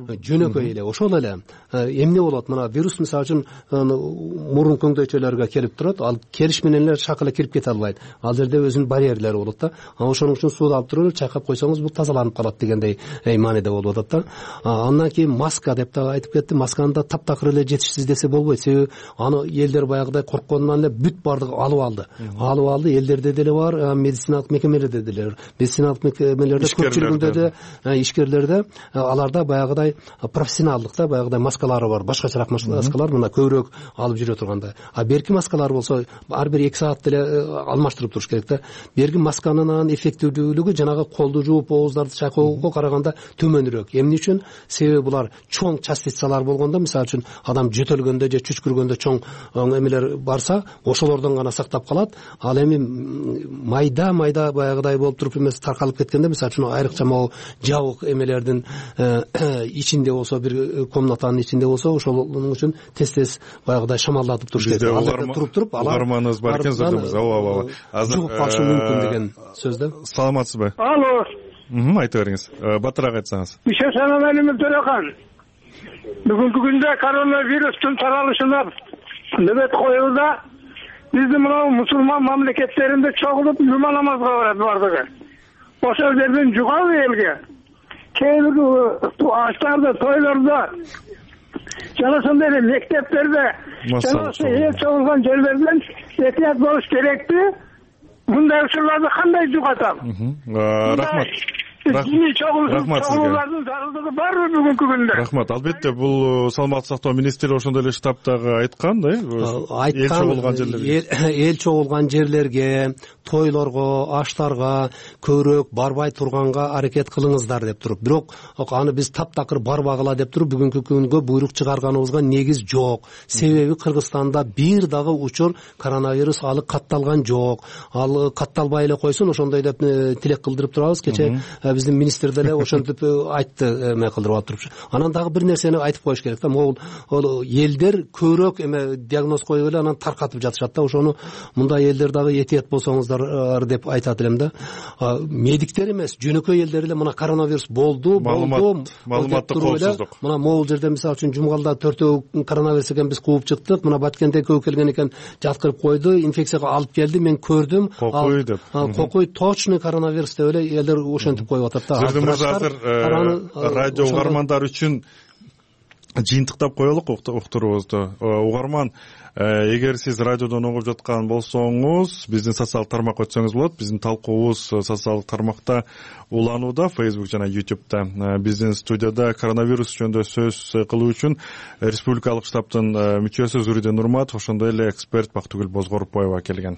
Жөнөкөй эле ошол эле эмне болот? Мына вирус мисалы үчүн мурун көңдөйчөлөргө келип турат, ал келиш менен эле шак эле кирип кете албайт. Ал жерде өзүнүн барьерлери болот да. Ошоның үчүн сууду алып туруп чайкап койсоңуз бул тазаланып калат дегендей мааниде болуп атат да. Андан кийин маска деп да айтып кетти. Масканы да таптакыр эле жетишсиз десе болбойт. Себеби аны элдер баягыдай коркконунан эле бүт бардыгы алып алды. Элдерде деле бар, медициналык мекемелерде деле бар. Медициналык мекемелерде көпчүлүгүндө де, ишкерлерде аларда баягыдай профессионалдыкта баягыдай маскалары бар, башкачараак маскалар, мына көбүрөөк алып жүрө турганда. Берки маскалар болсо ар бир 2 саат деле алмаштырып туруш керек да. Берки масканын эффективдүүлүгү жанагы колду жууп, ооздарды чайкоого караганда төмөнүрөөк. Эмне үчүн? Себеби булар чоң частицалар болгондо, мисалы үчүн адам жөтөлгөндө же чүчкүргөндө чоң эмелер барса, ошолордон гана сактап калат. Ал эми майда баягыдай болуп туруп эмес таркалып кеткенде, мисалы үчүн айрыкча могу жабык эмелердин ичинде болсо, бир комнатанын ичинде болсо, ошолун үчүн тез баягыдай шамалдатып туруш керек. Туруп угарманыбыз бар экен, зырдымыз. Азыр жугуп калышы мүмкүн деген сөз да. Саламатсызбы? Алло. Айта бериңиз. Батыраак айтсаңыз. Ишенемелим Төрехан. Бүгүнкү күндө коронавирустун таралышына нөбөт коюлда биздин мына мусулман мамлекеттеринде чогулуп жума намазга барат бардыгы. Ошол жерден жугабы элге? Кээ бир аштарда, тойлордо, жана ошондой эле мектептерде, жана ошо эл чогулган жерлерден этият болуш керекти. Мындай учурларды кандай жугатам? Рахмат. диний чогуулардын зарылдыгы барбы бүгүнкү күндө? Рахмат. Албетте, бул саламаттык сактоо министри ошондой эле штабтагы айткан да, эл чогулган жерлерге. Эл чогулган жерлерге, тойлорго, аштарга көбүрөөк барбай турганга аракет кылыңыздар деп туруп, бирок аны биз таптакыр барбагыла деп туруп бүгүнкү күнгө буйрук чыгарганыбызга негиз жок. Себеби Кыргызстанда бир дагы учур коронавирус алы катталган жок. Ал катталбай эле койсун, ошондой деп тилек кылдырып турабыз. Кече биздин министр деле ошентип айтты, эме кылдырып алып туруп. Анан дагы бир нерсени айтып коюш керек да. Могул элдер көбүрөөк эме диагноз коюп эле анан таркатып жатышат да. Ошону мындай элдер дагы этият болсоңуздар деп айтат элем да. Медиктер эмес, жөнөкөй элдер эле мына коронавирус болду. Маалыматтык коопсуздук. Мына могул жерде мисалы үчүн Жумгалда 4 коронавирус экен, биз кууп чыктык. Мына Баткенде көө келген экен, жаткырып койду, инфекцияга алып келди, мен көрдүм. Кокуй деп. Кокуй точно коронавирус деп эле элдер ошентип коюп атат да. Сиздин мырза азыр радио угармандар үчүн жыйынтыктап коелук уктуруубузду. Угарман, эгер сиз радиодон угуп жаткан болсоңуз, биздин социалдык тармакка өтсөңүз болот. Биздин талкуубуз социалдык тармакта уланууда, Facebook жана YouTube'да. Биздин студияда коронавирус жөнүндө сөз кылуу үчүн республикалык штабтын мүчөсү Зуриден Нурматов, ошондой эле эксперт Бактыгүл Бозгоропоева келген.